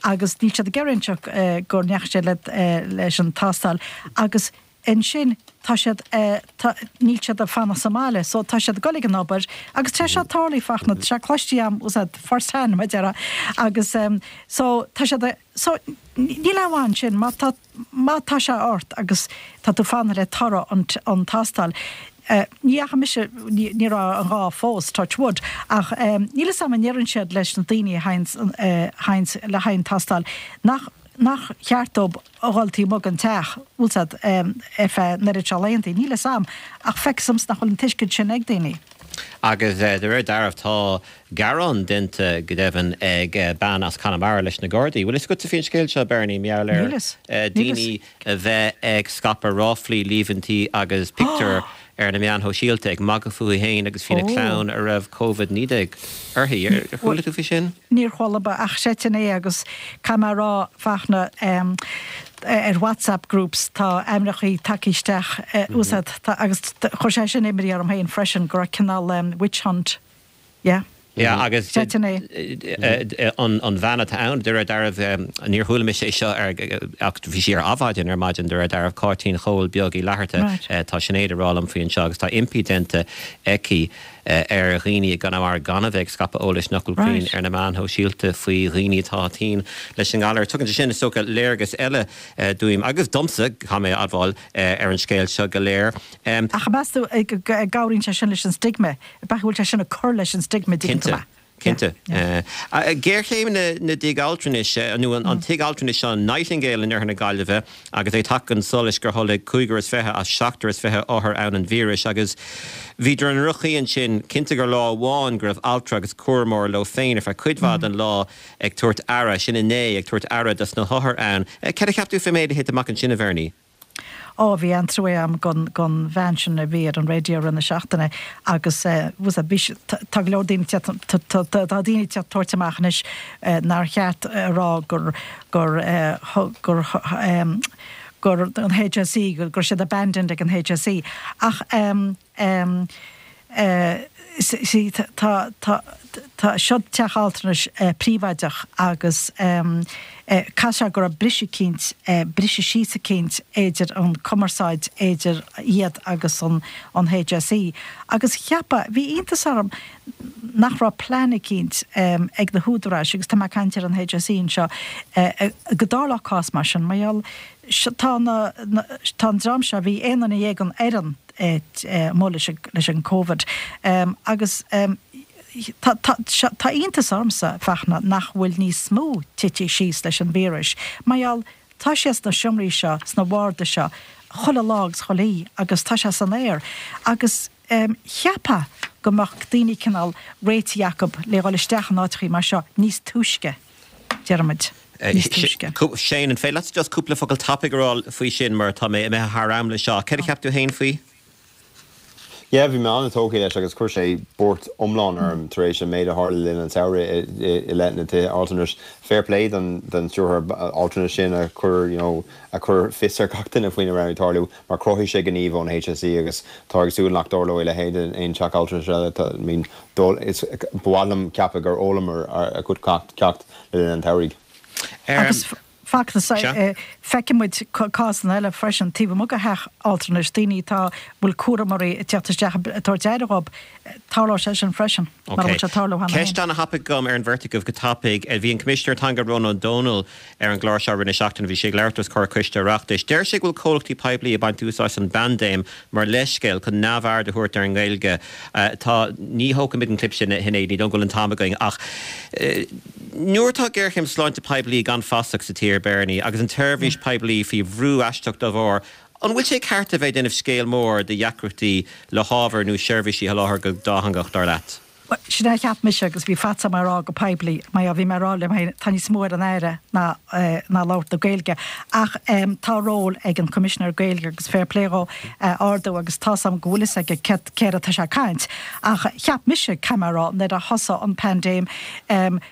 E: agus níl siad ag iarraidh inseacht go ndeachaigh siad leis an tástáil agus ansin tá siad, tá, níl siad ag fanacht sa mbaile so tá siad ag dul ag an obair agus tá sé tarlaithe Fachtna, tá sé cloiste agam, was that first hand mar a déarfá agus so tá siad a, so níl aon mhaith ansin má tá, má tá sé ort agus tá tú fanacht le toradh an, an tástáil. Ní fhaca mise, ní, ní raibh an gá fós, touch wood, ach níl fhios agam an ndeireann siad leis na daoine a théanns, le haghaidh an tástáil nach, nach cheart dóibh a dhul taobh amuigh den teach, bhfuil 's a'd, ar feadh an oiread seo laethanta. Níl 'fhios a'm, ach feictear domsa nach bhfuil an tuiscint sin ag daoine.
A: Agus de réir dealraimh tá gearán déanta go deimhin ag bean as Conamara leis na Gardaí. Bhfuil fhios agatsa faoin scéal seo, Bernie, mar gheall
E: Níl fhios.
A: ar
E: Níl fhios.
A: daoine a bheith ag scaipeadh ráflaí, líomhaintí agus pictiúir ar na meáin shóisialta ag magadh fúithi féin agus faoina clann a raibh Covid naoi déag uirthi. Ar chuala tú faoi sin?
E: Níor chuala ach seans é agus caithfidh mé a rá Fachtna ar WhatsApp groups tá ainmneachaí tagtha isteach úsáid agus chuir sé sin imní orm féin freisin go raibh cineál witch hunt. Yeah.
A: Yeah, agus
E: Seans é.
A: an bhean atá ann, de réir dealraimh, níor chuala mise é seo ach bhí sí ar Adhmhaidin ar maidin, de réir dealraimh, Cáitín Chóil Beag Uí Fhlatharta, tá Sinéad ag rá liom faoi anseo agus tá impí déanta aici ar dhaoine i gConamara gan a bheith ag scaipeadh eolais nach bhfuil cruinn ar na meáin shóisialta faoi dhaoine atá tinn leis an ngalar. Tugann sé sin, is dócha, léargas eile dúinn, agus domsa, caithfidh mé a admháil, ar an scéal seo go léir.
E: Ach meas tú go gcabhraíonn sé sin leis an stigma? B'fhéidir go bhfuil sé sin ag cur leis an stigma, dtuigeann tú mé.
A: Cinnte. Géarchéim na dtigh altranais, nó an tigh altranais seo, Nightingale in oirthear na Gaillimhe, agus é tagtha chun solais gur tholg cúigear is fiche as seachtar is fiche othar ann an víreas agus bhíodar i ndroch-chaoi ansin. Cinnte gur lá amháin go raibh altra agus cúramóir leo féin ar feadh cuid mhaith den lá ag tabhairt aire, sin inné, ag tabhairt aire dos na hothair ann. Cad a cheap tú fén méid a thit amach ansin, a Bhernie?
E: Ó, bhí an-trua agam gon, gon bhean sin a bhí ar an raidió i rith na seachtaine agus bhí, bhí, tá go leor daoine, tá, tá, tá daoine ag tabhairt amach anois nár cheart a rá gur, gur, gur, gur an HSE, go raibh siad abandoned ag an HSE ach see tá, tá, tá seo teach altranais príobháideach agus caithfidh sé go raibh briseadh eicínt, briseadh síos eicínt idir an cumarsáid idir iad agus an an HSE agus cheapfá, bhí iontas orm nach raibh plean eicínt ag na húdaráis agus tá mé ag caint ar an HSE anseo go dtarlódh cás mar sin mar gheall tá na, tá an dream seo, bhí aon duine dhéag den fhoireann amuigh leis leis an Covid agus tá tá tá iontas ormsa Fachtna nach bhfuil níos mó tite síos leis an víreas mar gheall tá sé sna seomraí seo sna warda seo chuile lá agus chuile oíche agus tá sé san aer agus cheapfá go mbeadh daoine cineál réitithe acu le dhul isteach in áiteachaí mar seo níos túisce déarfaimid níos túisce.
A: Shane, an féidir leat just cúpla focal tapaidh a rá faoi sin mar tá mé imithe thar am le seo. Céard a cheap tú féin faoi?
F: Yeah, bhí mé an-tógtha leis agus chuir sé buairt iomlán orm tar éis an méid a tharla le linn an tsamhraidh i leith na tithe altranais. Fair play don don stiúrthóir altranais sin a chuir you know a chuir fios ar gach duine faoina raibh ag tarlú mar chruthaigh sé gníomh ón HSE agus tá ag súil nach dtarlóidh a leithéid in aon teach altranais eile. Tá, I mean, ba mhaith liom ceapadh gur fhoghlaimar a chuid ceacht le linn an tsamhraidh.
E: Agus Fachtna, feicfidh muid cásanna eile freisin taobh amuigh de theach altranais, daoine atá bhfuil cúramóirí ag teacht isteach ag tabhairt aire dhóibh, tarlóidh sé sin freisin, mar a bhfuil sé ag tarlú cheana féin.
A: Ceist ana-thapaidh agam ar an bheirt agaibh go tapaidh. Bhí an Coimisinéir Teanga Rónán Ó Domhnaill ar an gclár seo i rith na seachtaine, bhí sé ag labhairt os comhair Coiste Oireachtais. Deir sé go bhfuil comhlachtaí poiblí ag baint úsáid as an bpaindéim mar leithscéal chun neamhaird a thabhairt ar an nGaeilge. Tá, ní thógfaimid an clip sin, a Shinéad, ní dóigh go bhfuil an t-am againn ach nuair atá géarchéim sláinte poiblí gan fasach sa tír, Bernie, agus an tseirbhís poiblí faoi bhrú aisteach dá bharr, an bhfuil sé ceart a bheith ag déanamh scéal mór de dheacrachtaí le hábhar nó seirbhísí a sholáthar go dátheangach, dar leat?
E: Bhuel, sin é a cheap mise agus bhí faitíos orm é a rá go poiblí, mar bhí mé ag rá liom féin, tá níos mó ar an Aire ná ná labhairt na Gaeilge. Ach tá ról ag an Coimisinéir Gaeilge agus fair play dhó é a ardú agus tá's agam go bhfuil fhios aige céard céard atá sé ag caint. Ach cheap mise, caithfidh mé a rá, nuair a thosaigh an paindéim,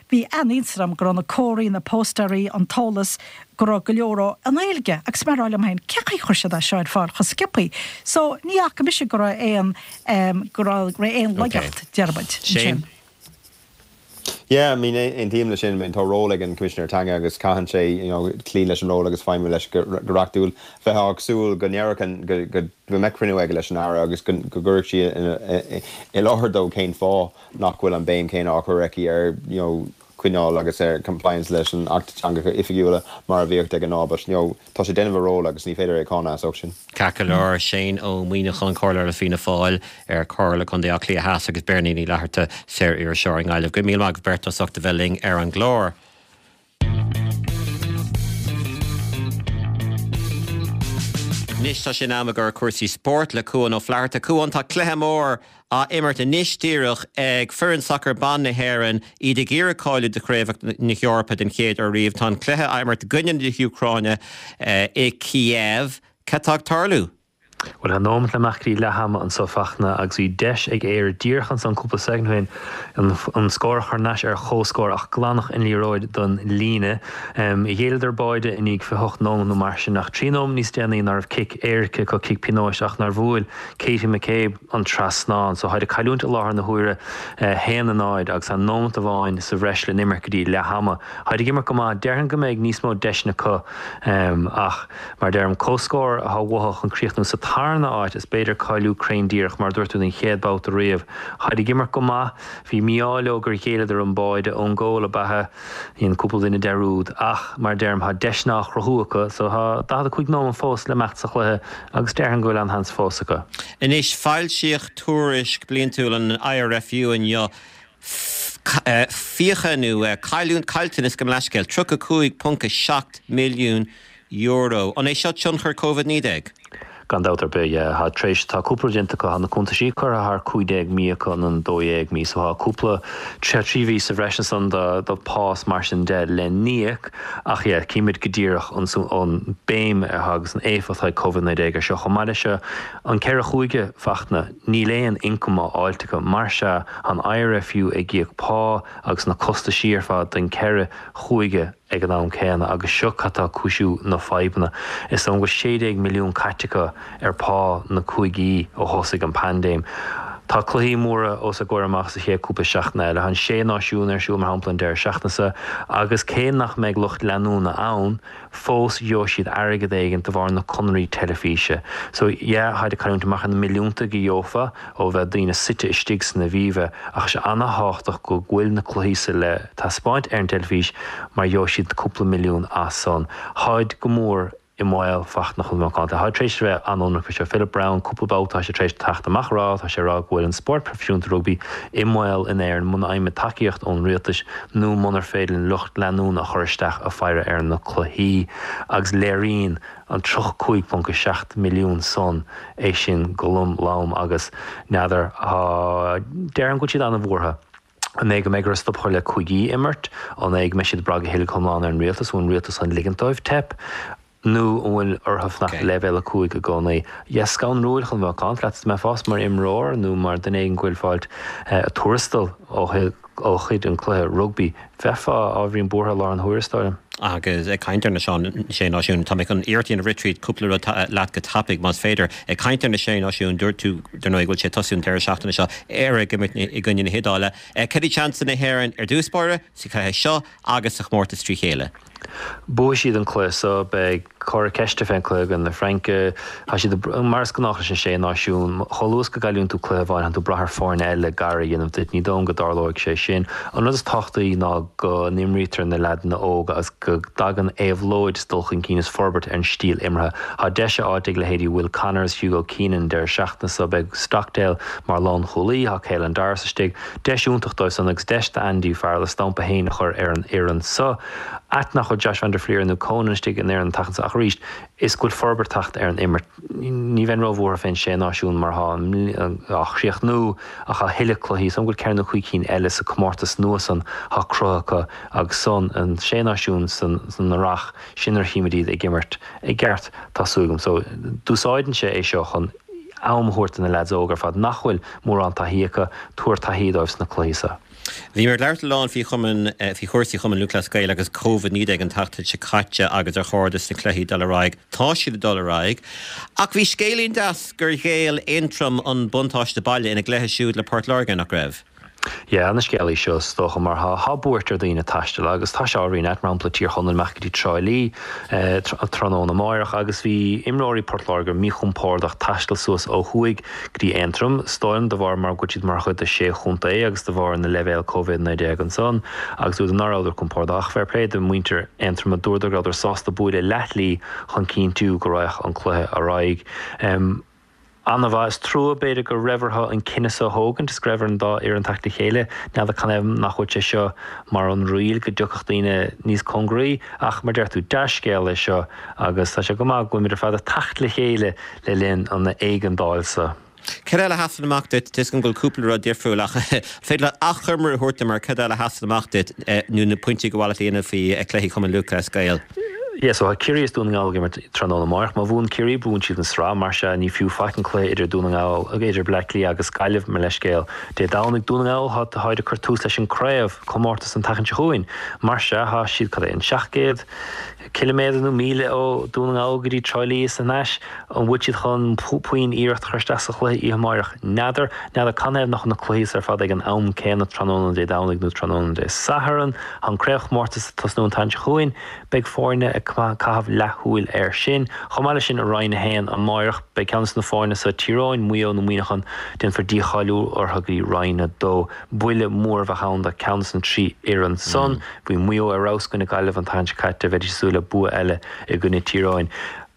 E: bhí an-iontas orm go raibh na comharthaí, na póstaerí, an t-eolas, go raibh go leor dhó i nGaeilge agus mé ag rá liom féin, cén chaoi a chuir siad é seo ar fáil chomh sciobthaí? So, ní fhaca mise go raibh aon, go raibh aon laigeacht, déarfaidh muid, ansin.
F: Yeah, I mean, aontaím leis sin, I mean, tá ról ag an Coimisinéir Teanga agus caitheann sé, you know, cloí leis an ról agus feidhmiú leis go reachtúil. Bheifeá ag súil go ndéarfadh, go, go, go mbeadh cruinniú aige leis an Aire agus go, go gcuirfeadh sí i láthair dó cén fáth nach bhfuil an béim chéanna á cur aici ar, you know, coinneáil agus ar compliance leis an Acht Teangacha Oifigiúla mar a bhíodh de ghnáth but you know tá sé ag déanamh a ról agus ní féidir é a cháineadh as ucht sin.
A: Ceart go leor, Shane Ó Muíneacháin, Comhairleoir le Fianna Fáil ar Chomhairle Contae Átha Cliath Theas agus Beirní Ní Fhlatharta, saor-iriseoir i nGaillimh. Go raibh míle maith agaibh beirt as ucht a bheith linn ar an gclár. Anois tá sé in am i gcomhair cúrsaí spóirt le Cuan Ó Flatharta. Cuan, tá cluiche mór á imirt anois díreach ag foireann sacair ban na hÉireann, iad ag iarraidh cáiliú do Chraobhacha na hEorpa den chéad uair riamh. Tá an cluiche á imirt i gcoinne na hÚcráine i Kiev. Cad tá ag tarlú?
G: Bhuel, tá nóimeat le imeacht go dtí leath ama anso, Fachtna, agus bhí deis ag Éire díreach ansan cúpla soicind ó shin an scór a chur thar n-ais ar chomhscór ach glanadh an liathróid don líne. Ghéilleadar báide i ndiaidh fiche hocht nóimeat nó mar sin ach trí nóimeat níos déanaí ná raibh cic éirice acu, cic pionóis, ach nár bhuail Katie McCabe an trasnán. So táid ag cailliúint i láthair na huaire, a haon a náid, agus tá nóimeat amháin sa bhreis le n-imirt go dtí leath ama. Táid ag imirt go maith. Déarfainn go mbeidh níos mó deiseanna acu ach, mar a deirim, comhscór atá uathu chun críochnú sa tarna áit is b'fhéidir cáiliú cruinn díreach, mar a dúirt tú, don chéad babhta riamh. Táid ag imirt go maith. Bhí mí-ádh leo gur ghéilleadar an báide. Own goal ab ea é. Dhein cúpla duine dearúd. Ach, mar a deirim, tá deiseanna á chruthú acu so tá daichead a cúig nóiméad fós le imeacht sa chluiche agus déarfainn go bhfuil an-sheans fós acu.
A: Anois, foilsíodh tuairisc bliantúil an IRFU inniu. Fiacha nó caillteanas, gabh mo leithscéal, tríocha cúig ponc a seacht milliún euro. An é seo tionchar Covid naoi déag?
G: Gan dabht ar bith, yeah. Tá tar éis, tá cúpla rud déanta acu, tá na cuntaisí curtha thar cúig déag mí acu nó an dó dhéag mí, so tá cúpla, trí, trí mhí sa bhreis ansan do, do pá is mar sin de le n-íoc ach yeah, címid go díreach an, an béim atá agus an éifeacht atá ag Covid naoi déag ar seo. Chomh maith leis seo, an ceithre chúige, Fachtna, níl aon ioncam á fháilt acu, mar sea, tá an IRFU ag íoc pá agus na costaisí ar fad don ceithre chúige ag an am céanna agus seo cad tá ag cúisiú na fadhbanna. Is dóigh go bhfuil sé déag milliún caite acu ar pá na cúigí ó thosaigh an paindéim. Tá cluichí móra os a gcomhair amach sa chéad cúpla seachtain eile. Tá an Sé Náisiún ar siúl mar shampla an deireadh seachtaine seo agus cé nach mbeidh lucht leanúna ann, fós gheobhaidh siad airgead éigin de bharr na conraí teilifíse. So yeah, táid ag cailliúint amach ar na milliúnta go gheofa ó bheith daoine suite istigh san Aviva ach sé ana-thábhachtach go bhfuil na cluichí sa le taispeáint ar an teilifís mar gheobhaidh siad cúpla milliún as san. Táid go mór i mbaol Fachtna chun macánta. Táid tar éis a bheith an-ionraic faoi seo. Philip Browne, cúpla babhta tá sé tar éis teacht amach a rá, tá sé ag rá go bhfuil an spórt proifisiúnta rugbaí i mbaol in Éirinn muna bhfaighimid tacaíocht ón rialtas nó munar féidir linn lucht leanúna a chur isteach ag faire ar na cluichí agus léiríonn an tríocha cúig ponc a seacht milliún san é sin go lom lom agus n'fheadar, tá, déarfainn go bhfuil siad an-bhuartha. An é go mbeidh orthu stop a chur le cúigí a imirt? An é go mbeidh siad ag brath go huile go hiomlán ar an rialtas? An bhfuil an rialtas chun ligint dóibh teip? Nó an bhfuil orthu fanacht le leibhéal a cúig i gcónaí? Yes, scanrúil chun bheith macánta leat, dá mbeifeása mar imreoir nó mar duine éigin go bhfuil fáilt tuarastal ó ó chuid an cluiche rugbaí, bheifeá ábhairín buartha i láthair na huaire, is dóigh liom.
A: Agus ag caint ar na Sé Náisiún, tá mé chun iarracht a dhéanamh rith tríd cúpla rud leat go tapaidh, más féidir. Ag caint ar na Sé Náisiún, dúirt tú, dar ndóigh, go bhfuil sé ag tosú an deireadh seachtaine seo, Éire ag imirt i gcoinne na hIodáile. Cad iad seansanna na hÉireann ar dtús báire sa chluiche seo agus sa chomórtas trí chéile?
G: Buafaidh siad an cluiche so, beidh comhartha ceiste fén cluiche i gcoinne na Fraince. Tá siad, mar is gnách leis an Sé Náisiún, chomh luath is go gcailleann tú cluiche amháin, tánn tú ag brath ar foirne eile gar a dhéanamh duit. Ní dóigh liom go dtarlóidh sé sin. An rud is tábhachtaí ná go n-imrítear na leaideanna óga agus go dtagann éabhlóid is dul chun cinn is forbairt ar an stíl imeartha. Tá deis á fháilt ag leithéidí Will Connors, Hugo Keenan an deireadh seachtaine so. Beidh Stockdale mar lánchúlaí, tá Caelan Doris istigh. Deis iontach dóibh san agus deis d'Andy Farrell a stampa féin a chur ar an fhoireann so. Ait nach bhfuil Josh van der Flier nó Conan istigh in fhoireann an tseachtain so ach arís is go bhfuil forbairt teacht ar an imirt. Ní bheinn róbhuartha fén Sé Náisiún mar tá á chríochnú ach tá a thuilleadh cluichí, is dóigh liom go bhfuil ceithre nó cúig cinn eile sa comórtas nua san thá cruthaithe acu agus san an Sé Náisiún san san earrach sin nuair a chímid iad ag imirt i gceart tá súil agam. So d'úsáideann sé é seo chun am a thabhairt do na leaids óga ar fad nach bhfuil mórán taithí acu, tabhair taithí dóibh sna cluichí seo.
A: Bhíomar ag labhairt a lán faoi chumann, faoi chúrsaí Chumann Lúthchleas Gael agus Covid naoi déag an tseachtain seo caite agus ar chóir dos na cluichí dul ar aghaidh. Tá siad ag dul ar aghaidh. Ach bhí scéilín deas gur ghéill Aontroim an buntáiste baile ina gcluiche siúd le Port Láirge, nach raibh?
G: Yeah, ana-scéal í seo is dócha mar tá tá buairt ar dhaoine taisteal agus tá sé á rá mar shampla Tír Chonaill amach go dtí Trá Lí tráthnóna amáireach agus bhí imreoirí Port Láirge míchompordach taisteal suas ó thuaidh go dtí Aontroim, is dóigh liom de bharr mar go bhfuil siad mar chuid de sé chontae agus de bharr na leibhéal Covid naoi déag ansan agus dúradar nach rabhadar compordach. Fair play do mhuintir Aontroma, dúradar go rabhadar sásta bualadh leathshlí chun cinntiú go raghadh an cluiche ar aghaidh. An-mhaith. Is trua, b'fhéidir, go raibh orthu an cinneadh seo a thógaint is go raibh ar an dá fhoireann teacht le chéile. N'fheadar canathaobh nach bhfuil sé seo mar an riail, go dtiocfadh daoine níos cóngaraí. Ach, mar deir tú, dea-scéal é seo agus tá sé go maith go bhfuilimid ar fad ag teacht le chéile le linn an éigeandáil seo.
A: Cad eile a sheasann amach duit? Tá 'fhios agam go bhfuil cúpla rud difriúil ach an féidir leat achoimre a thabhairt dom ar cad eile a sheasann amach duit nó na pointí gur mhaith leat a dhéanamh faoi chluichí Chumann Lúthchleas Gael?
G: Yeah, so tá Ciarraí is Dún na nGall ag imirt tráthnóna amáireach. Má bhuann Ciarraí, buann siad an sraith. Mar sea, ní fiú faic an cluiche idir Dún na nGall, idir Bleá Cliath agus Gaillimh, mo leithscéal. Dé Domhnaigh, Dún na nGall, tá, táid ag cur tús leis an craobh comórtas an tseachtain seo chugainn. Mar sea, tá siad, cad é, an seacht gcéad ciliméadar nó míle ó Dún na nGall go dtí Trá Lí is thar n-ais. An bhfuil siad chun puinn iarracht a chur isteach sa chluiche oíche amáireach? N'fheadar. N'fheadar canathaobh nach bhfuil na cluichí ar fad ag an am céanna tráthnóna Dé Domhnaigh nó tráthnóna Dé Sathairn. Tá an craobhchomórtas ag tosnú an tseachtain seo chugainn. Beidh foirne ag caitheamh leathshúil air sin. Chomh maith leis sin, i Roinn a haon amáireach, beidh ceann de na foirne seo, Tír Eoghain, Maigh Eo nó Muineachán, déanfar dícháiliú orthu go dtí Roinn a dó. Buille mór a bheadh ann do cheann de na trí fhoireann san. Bhí Maigh Eo ar fheabhas i gcoinne Gaillimh an tseachtain seo caite, bheidís ag súil le bua eile i gcoinne Tír Eoghain.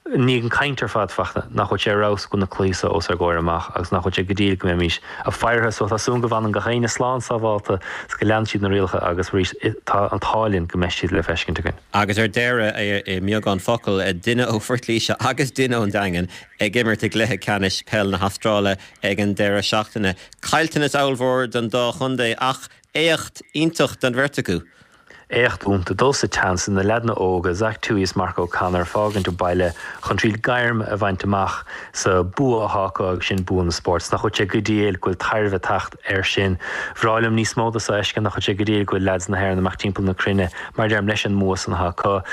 G: I ndiaidh an chaint ar fad, Fachtna, nach bhfuil sé ar fheabhas go bhfuil na cluichí seo os ár gcomhair amach agus nach bhfuil sé go diail go mbeimis ag faire so tá súil agam go bhfanann gach éinne slán sábhálta is go leanann siad na rialacha agus arís tá an t-ádh linn go mbeidh siad le feiscint againn.
A: Agus ar deireadh, i mbeagán focal, duine ó Phort Laoise agus duine ón Daingean ag imirt i gcluiche ceannais peil na hAstráile ag an deireadh seachtaine. Caillteanas ollmhór don dá chontae ach éacht iontach don bheirt acu.
G: Éacht iontach dul sa tseans na leaideanna óga, Zach Tuohy is Mark O'Connor, fágaint an baile chun triail gairm a bhaint amach sa bua atá acu agus sin bua na spóirt. Nach bhfuil sé go diail go bhfuil tairbhe teacht air sin. Bhreá liom níos mó de seo a fheiscint, nach bhfuil sé go diail go bhfuil leaids na hÉireann amach timpeall na cruinne, mar deirim, leis an mbua san atá acu.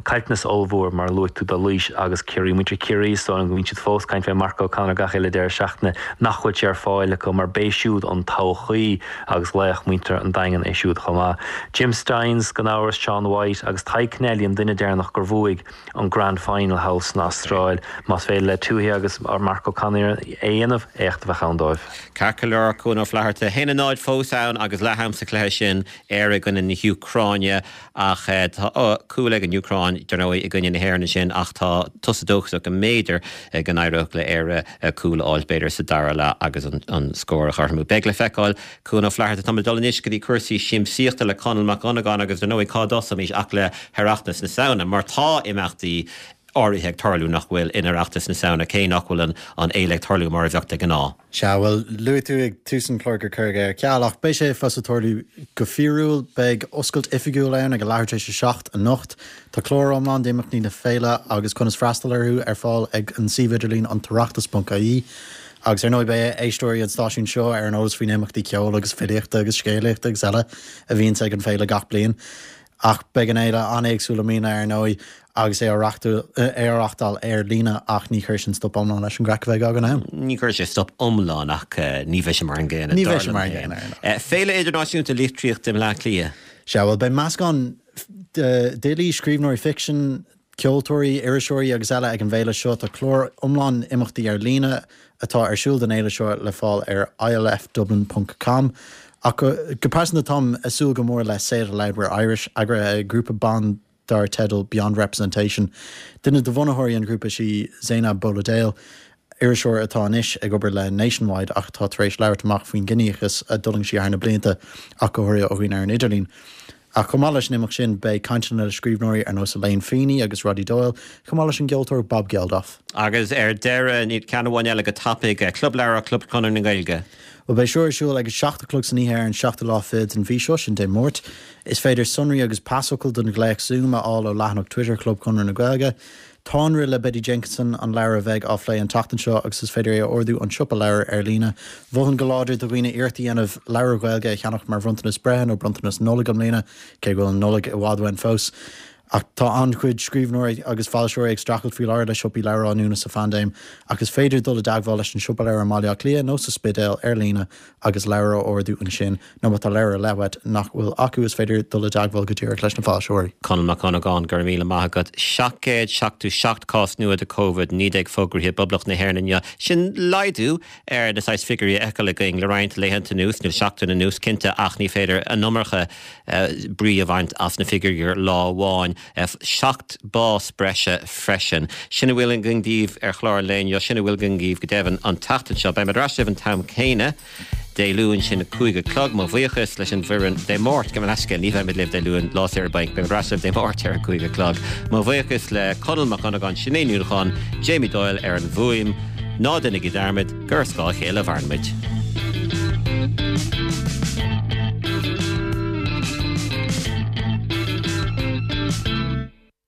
G: Caillteanas ollmhór, mar a luaigh tú, do Laois agus Ciarraí. Muintir Chiarraí, is dóigh liom go mbíonn siad fós ag caint fé Mark O'Connor gach uile deireadh seachtaine, nach bhfuil sé ar fáil acu mar b'é siúd an todhchaí. agus laoch muintir an Daingin é siúd chomh maith. Jim Stynes, gan amhras, Sean White agus Tadhg Kennelly an duine deireanach gur bhuaigh an Grand Final thall san Astráil. Más féidir le Tuohy agus Mark O'Connor é a dhéanamh, éacht a bheadh ann dóibh.
A: Ceart go leor, Cuan Ó Flatharta, a haon a náid fós ann agus leath-am sa chluiche sin, Éire i gcoinne na hÚcráine ach tá cúl ag an Úcráin, dar ndóigh, i gcoinne na hÉireann ansin ach tá tusa dóchasach go mb'fhéidir go n-éireodh le Éire cúl a fháilt b'fhéidir sa dara leath agus an scór a chothromú. Beidh le feiceáil. Cuan Ó Flatharta, Táimid ag dul anois go dtí cúrsaí siamsaíochta le Conall Mac Dhonnagáin agus dar ndóigh cá dtosóimis ach le hOireachtas na Samhna mar tá imeachtaí áirithe ag tarlú nach bhfuil in Oireachtas na Samhna cé nach bhfuil an an fhéile ag tarlú mar a bheadh de ghnáth.
H: Sea, bhuel, luaigh tú ag tús an chláir gur cuireadh é ar ceal ach beidh sé fós ag tarlú go fíorúil. Beidh oscailt oifigiúil ann ag a leathuair tar éis a seacht anocht. Tá clár iomlán d'imeachtaí na féile agus conas freastal orthu ar fáil ag an suíomh idirlín antoireachtas ponc ie. Agus ar ndóigh beidh éisteoirí an stáisiúin seo ar an eolas faoi na himeachtaí ceoil agus filíochta agus scéalaíochta agus eile a bhíonns ag an bhféile gach bliain. Ach beidh an fhéile an-éagsúil i mbliana ar ndóigh agus é á reáchtáil ar líne ach ní chuirfidh sin stop iomlán leis an gcraic a bheidh againn ann.
A: Ní chuirfidh sé stop iomlán ach ní bheidh sé mar an gcéanna.
H: Ní bheidh sé mar an gcéanna ar ndóigh.
A: Féile Idirnáisiúnta Litríochta i mBleá Cliath.
H: Sea, bhuel beidh meascán d'fhilí, scríbhneoirí ficsin, ceoltóirí, iriseoirí agus eile ag an bhféile seo. Tá clár iomlán imeachtaí ar líne atá ar siúl don fhéile seo le fáil ar ilfdublin ponc com. Ach go pearsanta táim ag súil go mór le Say It Aloud We're Irish, eagraithe ag grúpa ban dar teideal Beyond Representation. Duine de bhunaitheoirí an ghrúpa is í Zainab Boladale, iriseoir atá anois ag obair le Nationwide ach atá tar éis labhairt amach faoin gciníochas a d'fhulaing sí thar na blianta, ach go háirithe ó dhaoine ar an idirlíon. Ach chomh maith leis an imeacht sin, beidh cainteanna le scríbhneoirí ar nós Elaine Feeney agus Roddy Doyle, chomh maith leis an gceoltóir Bob Geldof.
A: Agus ar deireadh, ceann amháin eile go tapaidh, Club Leabhar Club Chonradh na Gaeilge.
H: Bhuel, beidh seo ar siúl ag a seacht a chlog san oíche ar an seachtú lá fichead den mhí seo, sin Dé Máirt. Is féidir sonraí agus pasfhocal don ghléas Zoom a fháil ó leathanach Twitter Chlub Chonradh na Gaeilge. Táinrith le Betty Jenkinson an leabhar a bheidh á phlé an tseachtain seo agus is féidir é a ordú ón siopa leabhar ar líne. Mholfainn go láidir do dhaoine iarracht a dhéanamh leabhar Gaeilge a cheannach mar bhronntanas breithe nó bronntanas Nollag i mbliana, cé go bhfuil an Nollaig i bhfad uainn fós. Ach tá an-chuid scríbhneoirí agus foilsitheoirí ag streachailt faoi láthair le siopaí leabhar á ndúnadh sa phaindéim, ach is féidir dul i dteagmháil leis an siopa leabhar i mBaile Átha Cliath nó sa Spidéal ar líne agus leabhar a ordú ansin, nó má tá leabhar ar leith uait nach bhfuil acu is féidir dul i dteagmháil go díreach leis na foilsitheoirí.
A: Conall Mac Dhonnagáin, Go raibh míle maith agat. seacht gcéad seachtó seacht cás nua de Covid naoi déag fógraithe i bPoblacht na hÉireann inniu. Sin laghdú ar na saghas figiúirí a fheiceáil againn le roinnt laethanta anuas, nó seachtain anuas cinnte, ach ní féidir an iomarca brí a bhaint as na figiúirí ar lá amháin. Seacht bás breise freisin. Sin a bhfuil againn daoibh ar chlár an lae inniu, sin a bhfuil againn daoibh go deimhin an tseachtain seo. Beimid ar ais libh an t-am céanna Dé Luain, sin a cúig a chlog. Mo bhuíochas leis an bhfoireann Dé Máirt, gabh mo leithscéal, ní bheimid libh Dé Luain, lá saoire bainc, beimid ar ais libh Dé Máirt ar a cúig a chlog. Mo bhuíochas le Conall Mac Dhonnagáin, Sinéad Ní Nuadháin, Jamie Doyle ar an bhfuaim. Ná déanaigí dearmad gur ar scáth a chéile a mhaireann muid.